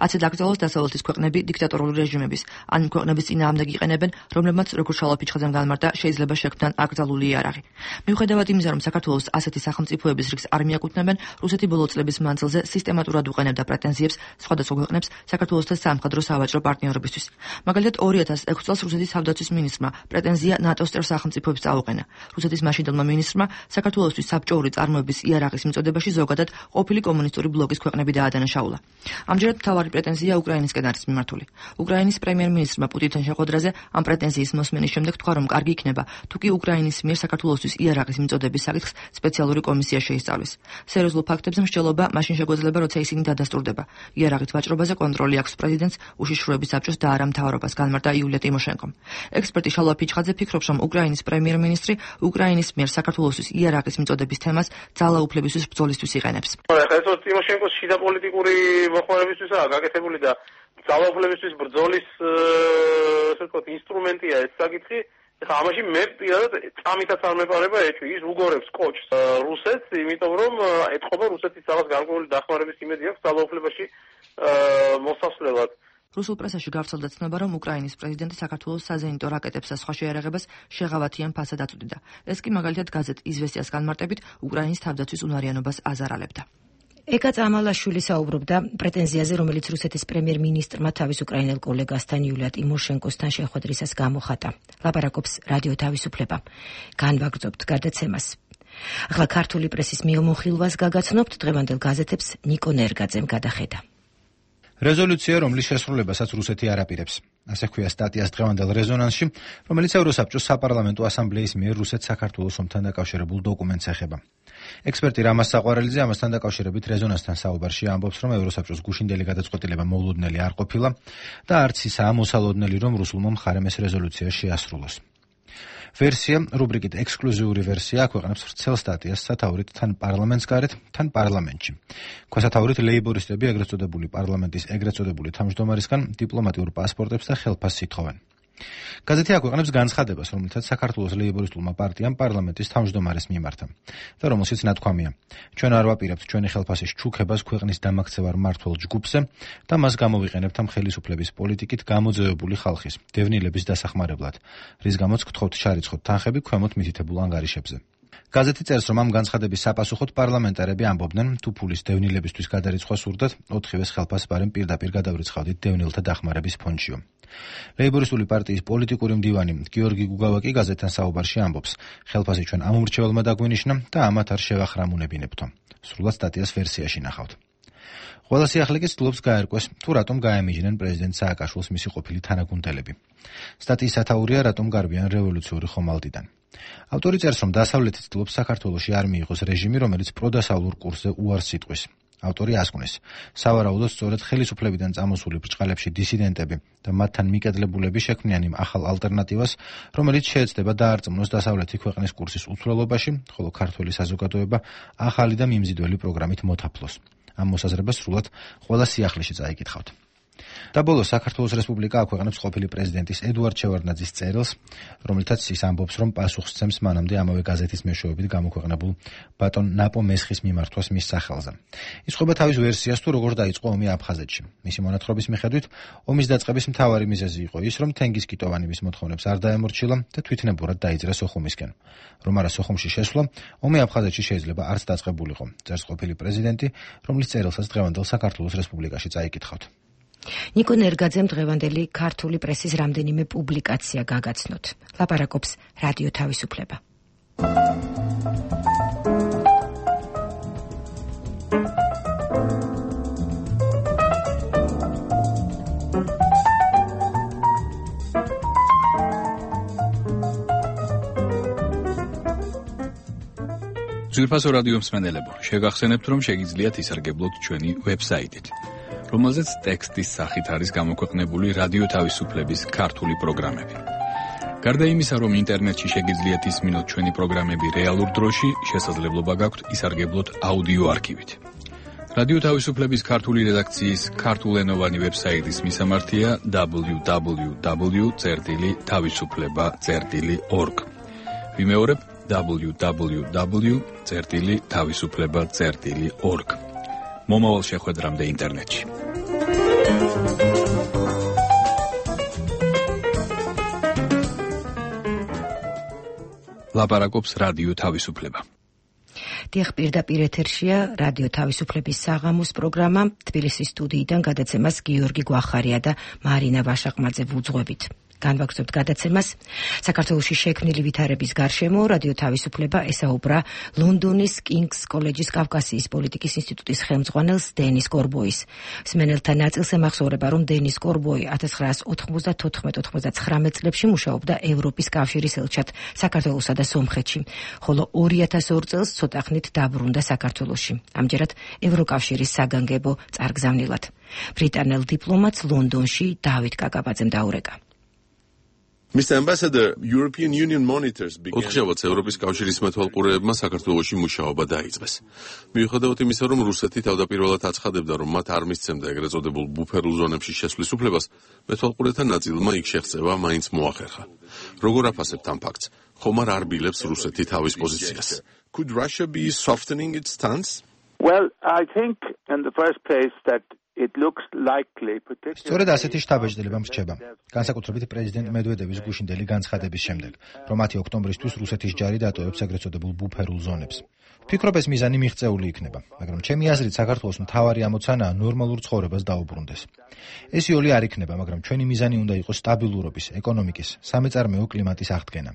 ასე დაკრძალოს დასავლეთის ქვეყნები დიქტატორული რეჟიმების, ან ქვეყნების წინააღმდეგ იყენებენ, რომლებმაც როგორც შალვა ფიჩხაძემ განმარტა, შეიძლება შექმნან აკრძალული იარაღი. მიუხედავად იმისა, რომ საქართველოს ასეთი სახელმწიფოების რიგს არ მიაკუთვნებენ, რუსეთი ბოლო წლების მანძილზე სისტემატურად უყენებდა პრეტენზიებს სხვადასხვა ქვეყნებს საქართველოსთან სამხედრო სავაჭრო პარტნიორობისთვის. მაგალითად 2006 წელს რუსეთის თავდაცვის მინისტრმა პრეტენზია ნატოს წევრ სახელმწიფოებს წაუყენა. რუსეთის მაშინდელმა მინისტრმა საქართველოსთვის საბჭოური წარმოების იარაღის მიწოდებაში ზოგადად ყოფილი კომუნისტური ბლოკის ქვეყნები დაადანაშაულა. ამჯერად მთავარი პრეტენზია უკრაინისკენ არის მიმართული. უკრაინის პრემიერ-მინისტრმა პუტინთან შეხვედრაზე ამ პრეტენზიის მოსმენის შემდეგ თქვა, რომ კარგი იქნება, თუ კი უკრაინის მიერ საქართველოსთვის იარაღის მიწოდების საკითხს სპეციალური კომისია შეისწავლის. სერიოზულ ფაქტებზე მსჯელობა მაშინ შეგვეძლება, როცა ისინი დადასტურდება. იარაღით ვაჭრობაზე კონტროლი აქვს პრეზიდენტს, უშიშროების საბჭოს და არა მთავრობას, განმარტა იულია ტიმოშენკომ. ექსპერტი შალვა ფიჩხაძე ფიქრობს, რომ უკრაინის პრემიერ-მინისტრი უკრაინის მიერ საქართველოსთვის იარაღის მიწოდების თემას ძალაუფლებისთვის ბრძოლისთვის იყენებს. ეს ტიმოშენკოს შიდა პოლიტიკური მოხმარებისთვისაა გაკეთებული და ძალაუფლებისთვის ბრძოლის ესე ვთქვათ ინსტრუმენტია ეს საკითხი. ეხლა ამაში მე პირადად წამითაც არ მეპარება ეჭვი, ის უგორებს კოჭს რუსეთს, იმიტომ რომ ეთყობა რუსეთის რაღაც გარკვეული დახმარების იმედი აქვს ძალაუფლებაში მოსასვლელად. რუსულ პრესაში გავრცელდა ცნობა, რომ უკრაინის პრეზიდენტი საქართველოს საზენიტო რაკეტებს და სხვა შეიარაღებას შეღავათიან ფასად აწვდიდა. ეს კი მაგალითად გაზეთ „იზვესტიას“ განმარტებით უკრაინის თავდაცვის უნარიანობას აზარალებდა. ეკა წამალაშვილი საუბრობდა პრეტენზიაზე, რომელიც რუსეთის პრემიერ-მინისტრმა თავის უკრაინელ კოლეგასთან იულია ტიმოშენკოსთან შეხვედრისას გამოხატა. ლაპარაკობს რადიო თავისუფლება. განვაგრძობთ გადაცემას. ახლა ქართული პრესის მიულმოხილვას გაგაცნობთ დღევანდელ გაზეთებს ნიკო ნერგაძემ გადახედა. რეზოლუცია, რომლის შესრულებასაც რუსეთი არ აპირებს. ასე ჰქვია სტატიას დღევანდელ რეზონანსში, რომელიც ევროსაბჭოს საპარლამენტო ასამბლეის მიერ რუსეთ-საქართველოს ომთან დაკავშირებულ დოკუმენტს ეხება. ექსპერტი რამაზ საყვარელიძე ამასთან დაკავშირებით რეზონანსთან საუბარში ამბობს, რომ ევროსაბჭოს გუშინდელი გადაწყვეტილება მოულოდნელი არ ყოფილა და არც ისაა მოსალოდნელი, რომ რუსულმა მხარემ ეს რეზოლუცია შეასრულოს. ვერსია, რუბრიკით ექსკლუზიური ვერსია, აქვეყნებს ვრცელ სტატიას სათაურით თან პარლამენტს გარეთ, თან პარლამენტში. ქვასათაურით ლეიბორისტები ეგრეთ წოდებული პარლამენტის ეგრეთ წოდებული თავმჯდომარისგან დიპლომატიურ პასპორტებს და ხელფასს ითხოვენ. გაზეთი აქვეყნებს განცხადებას, რომელთაც საქართველოს ლეიბორისტულმა პარტიამ პარლამენტის თავმჯდომარეს მიმართა და რომელშიც ნათქვამია: ჩვენ არ ვაპირებთ ჩვენი ხელფასის ჩუქებას ქვეყნის დამაქცევარ მმართველ ჯგუფზე და მას გამოვიყენებთ ამ ხელისუფლების პოლიტიკით გამოძევებული ხალხის, დევნილების დასახმარებლად, რის გამოც გთხოვთ შარიცხოთ თანხები ქვემოთ მითითებულ ანგარიშებზე. გაზეთი წერს, რომ ამ განცხადების საპასუხოდ პარლამენტარები ამბობდნენ, თუ ფულის დევნილებისთვის გადარიცხვა სურდათ, 4-ვეს ხელფასს ბარემ პირდაპირ გადავრიცხავდით დევნილთა დახმარების ფონდშიო. ლეიბორისტული პარტიის პოლიტიკური მდივანი გიორგი გუგავა კი გაზეთთან საუბარში ამბობს, ხელფასი ჩვენ ამ უმრჩეველმა დაგვინიშნა და ამათ არ შევახრამუნებინებთო. სრულად სტატიას ვერსიაში ნახავთ. ყველა სიახლე კი ცდილობს გაერკვეს, თუ რატომ გაემიჯნენ პრეზიდენტ სააკაშვილს მისი ყოფილი თანაგუნდელები. სტატიის სათაურია, რატომ გარბიან რევოლუციური ხომალდიდან. ავტორი წერს, რომ დასავლეთი ცდილობს საქართველოში არ მიიღოს რეჟიმი, რომელიც პროდასავლურ კურსზე უარს იტყვის. ავტორი ასკვნეს, სავარაუდოდ სწორედ ხელისუფლებიდან წამოსული ბრჭყალებში დისიდენტები და მათთან მიკედლებულები შექმნიან იმ ახალ ალტერნატივას, რომელიც შეეცდება დაარწმუნოს დასავლეთი ქვეყნის კურსის უცვლელობაში, ხოლო ქართველი საზოგადოება ახალი და მიმზიდველი პროგრამით მოთაფლოს. ამ მოსაზრებას სრულად ყველა სიახლეში წაიკითხავთ. და ბოლოს საქართველოს რესპუბლიკა აქვეყნებს ყოფილი პრეზიდენტის ედუარდ შევარდნაძის წერილს, რომელთაც ის ამბობს, რომ პასუხს სცემს მანამდე ამავე გაზეთის მეშვეობით გამოქვეყნებულ ბატონ ნაპო მესხის მიმართვას მის სახელზე. ის ხვდება თავის ვერსიას, თუ როგორ დაიწყო ომი აფხაზეთში. მისი მონათხრობის მიხედვით, ომის დაწყების მთავარი მიზეზი იყო ის, რომ თენგიზ კიტოვანი მის მოთხოვნებს არ დაემორჩილა და თვითნებურად დაიძრა სოხუმისკენ. რომ არა სოხუმში შესვლა, ომი აფხაზეთში შეიძლება არც დაწყებულიყო, წერს ყოფილი პრეზიდენტი, რომლის წერილსაც დღევანდელ საქართველოს რესპუბლიკაში წაიკითხავთ. ნიკო ნერგაძემ დღევანდელი ქართული პრესის რამდენიმე პუბლიკაცია გაგაცნოთ. ლაპარაკობს რადიო თავისუფლება. ძვირფასო რადიო მსმენელებო, შეგახსენებთ, რომ შეგიძლიათ ისარგებლოთ ჩვენი ვებსაიტით, რომელზეც ტექსტის სახით არის გამოქვეყნებული რადიო თავისუფლების ქართული პროგრამები. გარდა იმისა, რომ ინტერნეტში შეგიძლიათ ისმინოთ ჩვენი პროგრამები რეალურ დროში, შესაძლებლობა გაქვთ ისარგებლოთ აუდიო არქივით. რადიო თავისუფლების ქართული რედაქციის ქართულენოვანი ვებსაიტის მისამართია www.tavisufleba.org. ვიმეორებ www.tavisufleba.org. მომავალ შეხვედრამდე ინტერნეტში. ლაპარაკობს რადიო თავისუფლება. დიახ, პირდაპირ ეთერშია რადიო თავისუფლების საღამოს პროგრამა. თბილისის სტუდიიდან გადაცემას გიორგი გვახარია და მარინა ვაშაყმაძე ვუძღვებით. განვაგრძობთ გადაცემას. საქართველოში შექმნილი ვითარების გარშემო რადიო თავისუფლება ესაუბრა ლონდონის კინგს კოლეჯის კავკასიის პოლიტიკის ინსტიტუტის ხელმძღვანელს დენის კორბოის. მსმენელთა ნაწილს ემახსოვრება, რომ დენის კორბოი 1994-99 წლებში მუშაობდა ევროპის კავშირის ელჩად საქართველოსა და სომხეთში, ხოლო 2002 წელს ცოტა ხნით დაბრუნდა საქართველოში. ამჯერად ევროკავშირის საგანგებო წარგზავნილად. ბრიტანელ დიპლომატს ლონდონში დავით კაკაბაძემ დაურეკა. Mr. Ambassador, European Union monitors began... ოთხშაბათს ევროპის კავშირის მეთვალყურეებმა საქართველოში მუშაობა დაიწყეს. მიუხედავად იმისა, რომ რუსეთი თავდაპირველად აცხადებდა, რომ მათ არ მისცემდა ეგრეთ წოდებულ ბუფერულ ზონებში შესვლის უფლებას, მეთვალყურეთა ნაწილმა იქ შეღწევა მაინც მოახერხა. როგორ აფასებთ ამ ფაქტს? ხომ არ არბილებს რუსეთი თავის პოზიციას? Could Russia be softening its stance? Well, I think in the first place that it looks likely, particularly... სწორედ ასეთი შთაბეჭდილება მრჩება. განსაკუთრებით პრეზიდენტ მედვედევის გუშინდელი განცხადების შემდეგ, რომ 10 ოქტომბრისთვის რუსეთის ჯარი დატოვებს ეგრეთ წოდებულ ბუფერულ ზონებს. ვფიქრობ, ეს მიზანი მიღწეული იქნება, მაგრამ ჩემი აზრით საქართველოს მთავარი ამოცანაა ნორმალურ ცხოვრებას დაუბრუნდეს. ეს იოლი არ იქნება, მაგრამ ჩვენი მიზანი უნდა იყოს სტაბილურობის, ეკონომიკის, სამეწარმეო კლიმატის აღდგენა.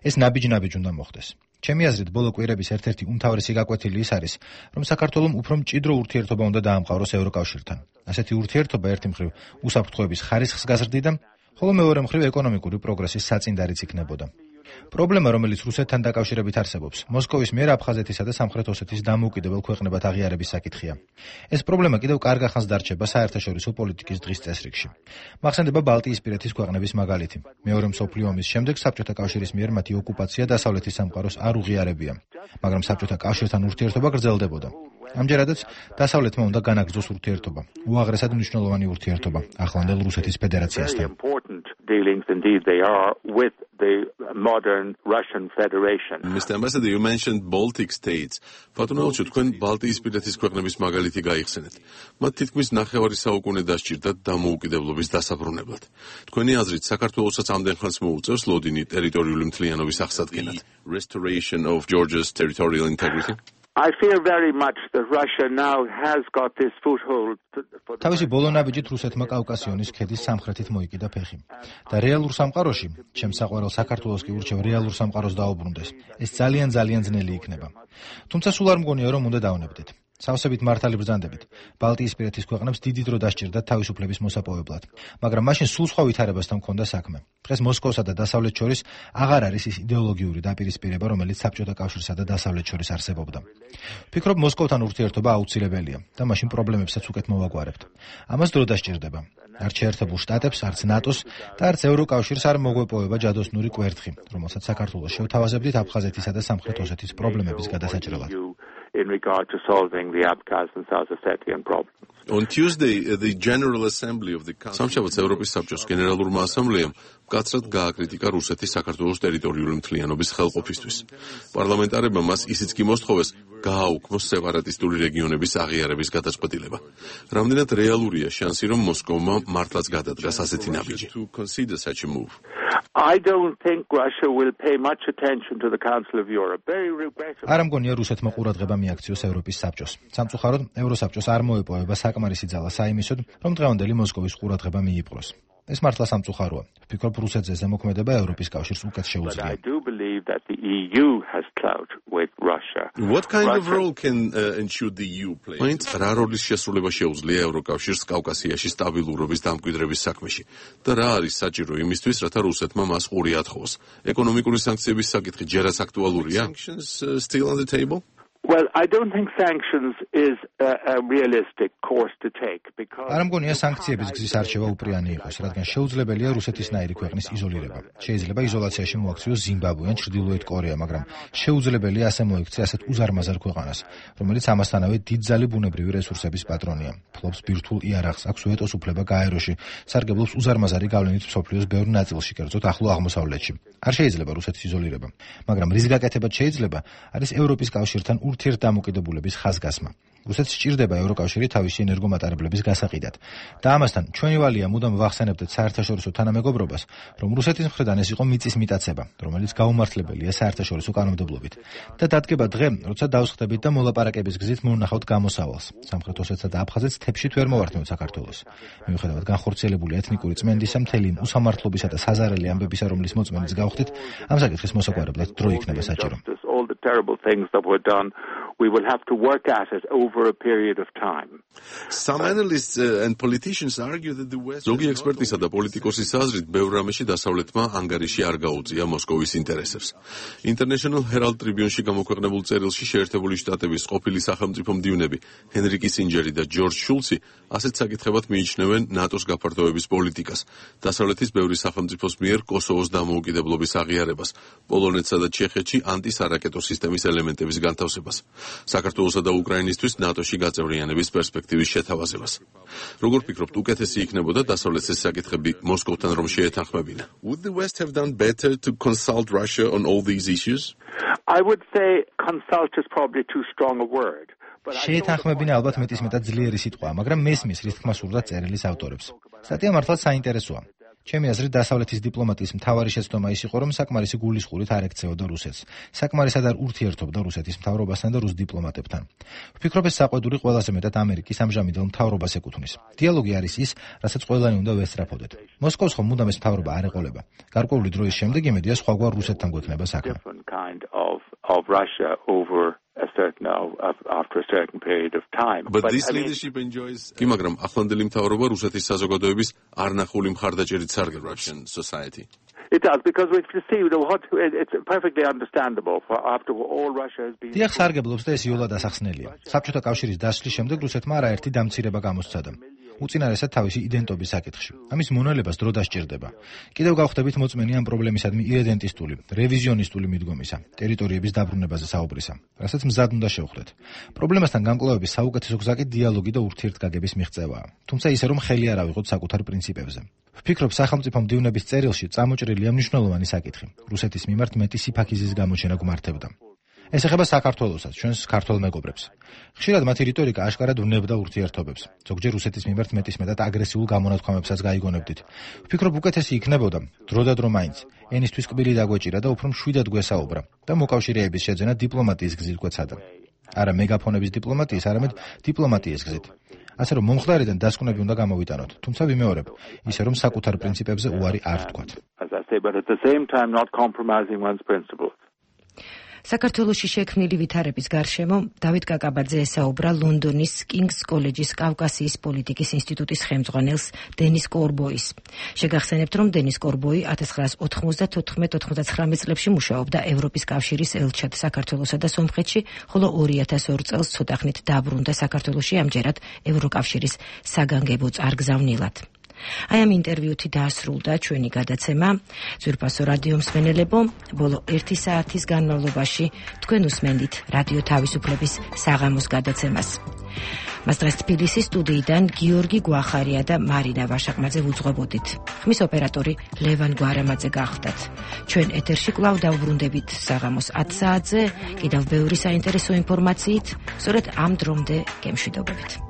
ეს ნაბიჯ-ნაბიჯ უნდა მოხდეს. ჩემი აზრით, ბოლო კვირების ერთ-ერთი უმთავრესი გაკვეთილი ის არის, რომ საქართველომ უფრო მჭიდრო ურთიერთობა უნდა დაამყაროს ევროკავშირთან. ასეთი ურთიერთობა ერთი მხრივ უსაფრთხოების ხარისხს გაზრდიდა, ხოლო მეორე მხრივ ეკონომიკური პროგრესის საწინდარიც იქნებოდა. პრობლემა, რომელიც რუსეთთან დაკავშირებით არსებობს, მოსკოვის მიერ აფხაზეთისა და სამხრეთ ოსეთის დამოუკიდებელ ქვეყნებად აღიარების საკითხია. ეს პრობლემა კიდევ კარგ ახანს დარჩება საერთაშორისო პოლიტიკის დღის წესრიგში. მახსენდება ბალტიისპირეთის ქვეყნების მაგალითი. მეორე მსოფლიო ომის შემდეგ საბჭოთა კავშირის მიერ მათი ოკუპაცია დასავლეთის სამყაროს არ უღიარებია, მაგრამ საბჭოთა კავშირთან ურთიერთობა გრძელდებოდა. ამჯერადაც დასავლეთმა უნდა განაგრძოს ურთიერთობა, უაღრესად მნიშვნელოვანი ურთიერთობა ახლანდელ რუსეთის ფედერაციასთან. Mr. Ambassador, you mentioned Baltic states. Ფატონაუჩო, თქვენ ბალტიისპირეთის ქვეყნების მაგალითი გაიხსენეთ. მათ თითქმის ნახევარი საუკუნე დასჭირდათ დამოუკიდებლობის დასაბრუნებლად. თქვენი აზრით, საქართველოსაც ამდენ ხანს მოუწევს ლოდინი ტერიტორიული მთლიანობის აღსადგენად? Restoration of Georgia's territorial integrity? I fear very much that Russia now has got this foothold. თავისი ბოლო ნაბიჯით რუსეთმა კავკასიონის ქედის სამხრეთით მოიკიდა ფეხი. და რეალურ სამყაროში, ჩემს საყვარელ საქართველოს კი ურჩევ რეალურ სამყაროს დაუბრუნდეს. ეს ძალიან ძნელი იქნება. თუმცა სულ არ მგონია, რომ უნდა დავნებდეთ. სავსებით მართალი ბრძანდებით ბალტიისპირეთის ქვეყნებს დიდი დრო დასჭირდათ თავისუფლების მოსაპოვებლად, მაგრამ მაშინ სულ სხვა ვითარებასთან ჰქონდა საქმე. დღეს მოსკოვსა და დასავლეთს შორის აღარ არის ის იდეოლოგიური დაპირისპირება, რომელიც საბჭოთა კავშირსა და დასავლეთს შორის არსებობდა. ვფიქრობ, მოსკოვთან ურთიერთობა აუცილებელია და მაშინ პრობლემებსაც უკეთ მოვაგვარებთ. ამას დრო დასჭირდება. არც შეერთებულ შტატებს, არც ნატოს და არც ევროკავშირს არ მოგვეპოვება ჯადოსნური კვერთხი, რომელსაც საქართველოს შევთავაზებდით აფხაზეთისა და სამხრეთ ოსეთის პრობლემების გადასაჭრელად. In regard to solving the Abkhaz and South Ossetian problems. On Tuesday, the General Assembly of the სამშაბათს ევროპის საბჭოს გენერალურმა ასამბლეამ მკაცრად გააკრიტიკა რუსეთის საქართველოს ტერიტორიული მთლიანობის ხელყოფისთვის. პარლამენტარებმა მას ისიც კი მოსთხოვეს, გააუქმოს სეპარატისტული რეგიონების აღიარების გადაწყვეტილება. რამდენად რეალურია შანსი, რომ მოსკოვმა მართლაც გადადგას ასეთი ნაბიჯი? I don't think Russia will pay much attention to the Council of Europe. Very regrettable. არ მგონია რუსეთმა ყურადღება მიაქციოს ევროპის საბჭოს. სამწუხაროდ, ევროსაბჭოს არ მოეპოვება საკმარისი ძალა საიმისოდ, რომ დღევანდელი მოსკოვის ყურადღება მიიპყროს. ეს მართლა სამწუხაროა. ვფიქრობ, რუსეთზე ზემოქმედება ევროპის კავშირს უკეთ შეუძლია. I do believe that the EU has clout with Russia. What kind of role can ensure the EU play? მაინც რა როლის შესრულება შეუძლია ევროკავშირს კავკასიაში სტაბილურობის დამკვიდრების საქმეში და რა არის საჭირო იმისთვის, რათა რუსეთმა მას ყური ათხოვოს? ეკონომიკური სანქციების საკითხი ჯერაც აქტუალურია? Sanctions still on the table? Well, I don't think sanctions is a realistic course to take because არ მგონია სანქციების გზის არჩევა უპრიანი იყოს, რადგან შეუძლებელია რუსეთისნაირი ქვეყნის იზოლირება. შეიძლება იზოლაციაში მოაქციოს ზიმბაბვე ან ჩრდილოეთ კორეა, მაგრამ შეუძლებელია ასე მოიქცე ასეთ უზარმაზარ ქვეყანას, რომელიც ამასთანავე დიდძალი ბუნებრივი რესურსების პატრონია. ფლობს ბირთვულ იარაღს, აქვს უეტოს უფლება გაეროში, სარგებლობს უზარმაზარი გავლენით მსოფლიოს ბევრ ნაწილში, კერძოდ ახლო აღმოსავლეთში. არ შეიძლება რუსეთის იზოლირება, მაგრამ რის გაკეთებად შეიძლება არის ევროპის კავშირთან ურთიერთდამოკიდებულების ხაზგასმა. რუსეთს სჭირდება ევროკავშირი თავისი ენერგომატარებლების გასაყიდად. და ამასთან ჩვენი ვალია მუდამ ვახსენებდეთ საერთაშორისო თანამეგობრობას, რომ რუსეთის მხრიდან ეს იყო მიწის მიტაცება, რომელიც გაუმართლებელია საერთაშორისო კანონმდებლობით. და დადგება დღე, როცა დავსხდებით და მოლაპარაკების გზით მოვნახავთ გამოსავალს. სამხრეთ ოსეთსა და აფხაზეთს თეფშით ვერ მოვართმევთ საქართველოს. მიუხედავად განხორციელებული ეთნიკური წმენდისა, მთელი უსამართლობისა და საზარელი ამბებისა, რომლის მოწმენიც გავხდით, ამ საკითხის მოსაგვარებლად დრო იქნება საჭირო. All the terrible things that were done, we will have to work at it over a period of time. Some analysts and politicians argue that the West ზოგი ექსპერტისა და პოლიტიკოსის აზრით, ბევრ რამეში დასავლეთმა ანგარიში არ გაუწია მოსკოვის ინტერესებს. International Herald Tribune-ში გამოქვეყნებულ წერილში შეერთებული შტატების ყოფილი სახელმწიფო მდივნები ჰენრი კისინჯერი და ჯორჯ შულცი ასეთ საკითხებად მიიჩნევენ ნატოს გაფართოების პოლიტიკას, დასავლეთის ბევრი სახელმწიფოს მიერ კოსოვოს დამოუკიდებლობის აღიარებას, პოლონეთსა და ჩეხეთში ანტისარაკეტო სისტემის ელემენტების განთავსებას, საქართველოსა და უკრაინისთვის ნატოში გაწევრიანების პერსპექტივის შეთავაზებას. როგორ ფიქრობთ, უკეთესი იქნებოდა დასავლეთის ეს საკითხები მოსკოვთან რომ შეეთანხმებინა? Would the West have done better to consult Russia on all these issues? I would say consult is probably too strong a word. შეეთანხმებინა ალბათ მეტისმეტად ძლიერი სიტყვაა, მაგრამ მესმის რის თქმა სურდა წერილის ავტორებს. სტატია მართლაც საინტერესოა. ჩემი აზრით, დასავლეთის დიპლომატიის მთავარი შეცდომა ის იყო, რომ საკმარისი გულისხმობით არ ექცეოდა რუსეთს. საკმარისად არ ურთიერთობდა რუსეთის მთავრობასთან და რუს დიპლომატებთან. ვფიქრობ, ეს საყვედური ყველაზე მეტად ამერიკის ამჟამინდელ მთავრობას ეკუთვნის. დიალოგი არის ის, რასაც ყველანი უნდა ვესწრაფოდეთ. მოსკოვს ხომ მუდამ ეს მთავრობა არ ეყოლება. გარკვეული დროის შემდეგ იმედია სხვაგვარ რუსეთთან გვექნება საქმე. Of Russia over after a certain period of time. But this leadership enjoys კი მაგრამ ახლანდელი მთავრობა რუსეთის საზოგადოების არნახული მხარდაჭერით სარგებლობს Russian society. It does because we see it's perfectly understandable after all Russia has been. დიახ, სარგებლობს და ეს იოლად ასახსნელია. საბჭოთა კავშირის დასვლის შემდეგ რუსეთმა არაერთი დამცირება გამოსცადა. უწინარესად თავისი იდენტობის საკითხში. ამის მონელებას დრო დასჭირდება. კიდევ გავხდებით მოწმენი ამ პრობლემისადმი ირედენტისტული, რევიზიონისტული მიდგომისა, ტერიტორიების დაბრუნებაზე საუბრისა, რასაც მზად უნდა შევხვდეთ. პრობლემასთან გამკლავების საუკეთესო გზა კი დიალოგი და ურთიერთგაგების მიღწევაა. თუმცა ისე რომ ხელი არ ავიღოთ საკუთარ პრინციპებზე. ვფიქრობ, სახელმწიფო მდივნების წერილში წამოჭრილია მნიშვნელოვანი საკითხი. რუსეთის მიმართ მეტი სიფაქიზის გამოჩენა გმართებდა. ეს ეხება საქართველოსაც, ჩვენს ქართველ მეგობრებს. ხშირად მათი რიტორიკა აშკარად ვნებდა ურთიერთობებს. ზოგჯერ რუსეთის მიმართ მეტისმეტად აგრესიულ გამონათქვამებსაც გაიგონებდით. ვფიქრობ, უკეთესი იქნებოდა დროდადრო მაინც ენისთვის კბილი დაგვეჭირა და უფრო მშვიდად გვესაუბრა და მოკავშირეების შეძენა დიპლომატიის გზით გვეცადა. არა მეგაფონების დიპლომატიის, არამედ დიპლომატიის გზით. ასე რომ მომხდარიდან დასკვნები უნდა გამოვიტანოთ, თუმცა ვიმეორებ, ისე რომ საკუთარ პრინციპებზე უარი არ ვთქვათ. საქართველოში შექმნილი ვითარების გარშემო დავით კაკაბაძე ესაუბრა ლონდონის კინგს კოლეჯის კავკასიის პოლიტიკის ინსტიტუტის ხელმძღვანელს დენის კორბოის. შეგახსენებთ, რომ დენის კორბოი 1994-99 წლებში მუშაობდა ევროპის კავშირის ელჩად საქართველოსა და სომხეთში, ხოლო 2002 წელს ცოტახნით დაბრუნდა საქართველოში ამჯერად ევროკავშირის საგანგებო წარგზავნილად. აი ამ ინტერვიუთი დაასრულდა ჩვენი გადაცემა. ძვირფასო რადიო მსმენელებო, ბოლო 1 საათის განმავლობაში თქვენ უსმენდით რადიო თავისუფლების საღამოს გადაცემას. მას დღეს თბილისის სტუდიიდან გიორგი გვახარია და მარინა ვაშაყმაძე ვუძღვებოდით. ხმის ოპერატორი ლევან გვარამაძე გახდათ. ჩვენ ეთერში კვლავ დავბრუნდებით საღამოს 10 საათზე, კიდევ ბევრი საინტერესო ინფორმაციით, სწორედ ამ დრომდე გემშვიდობებით.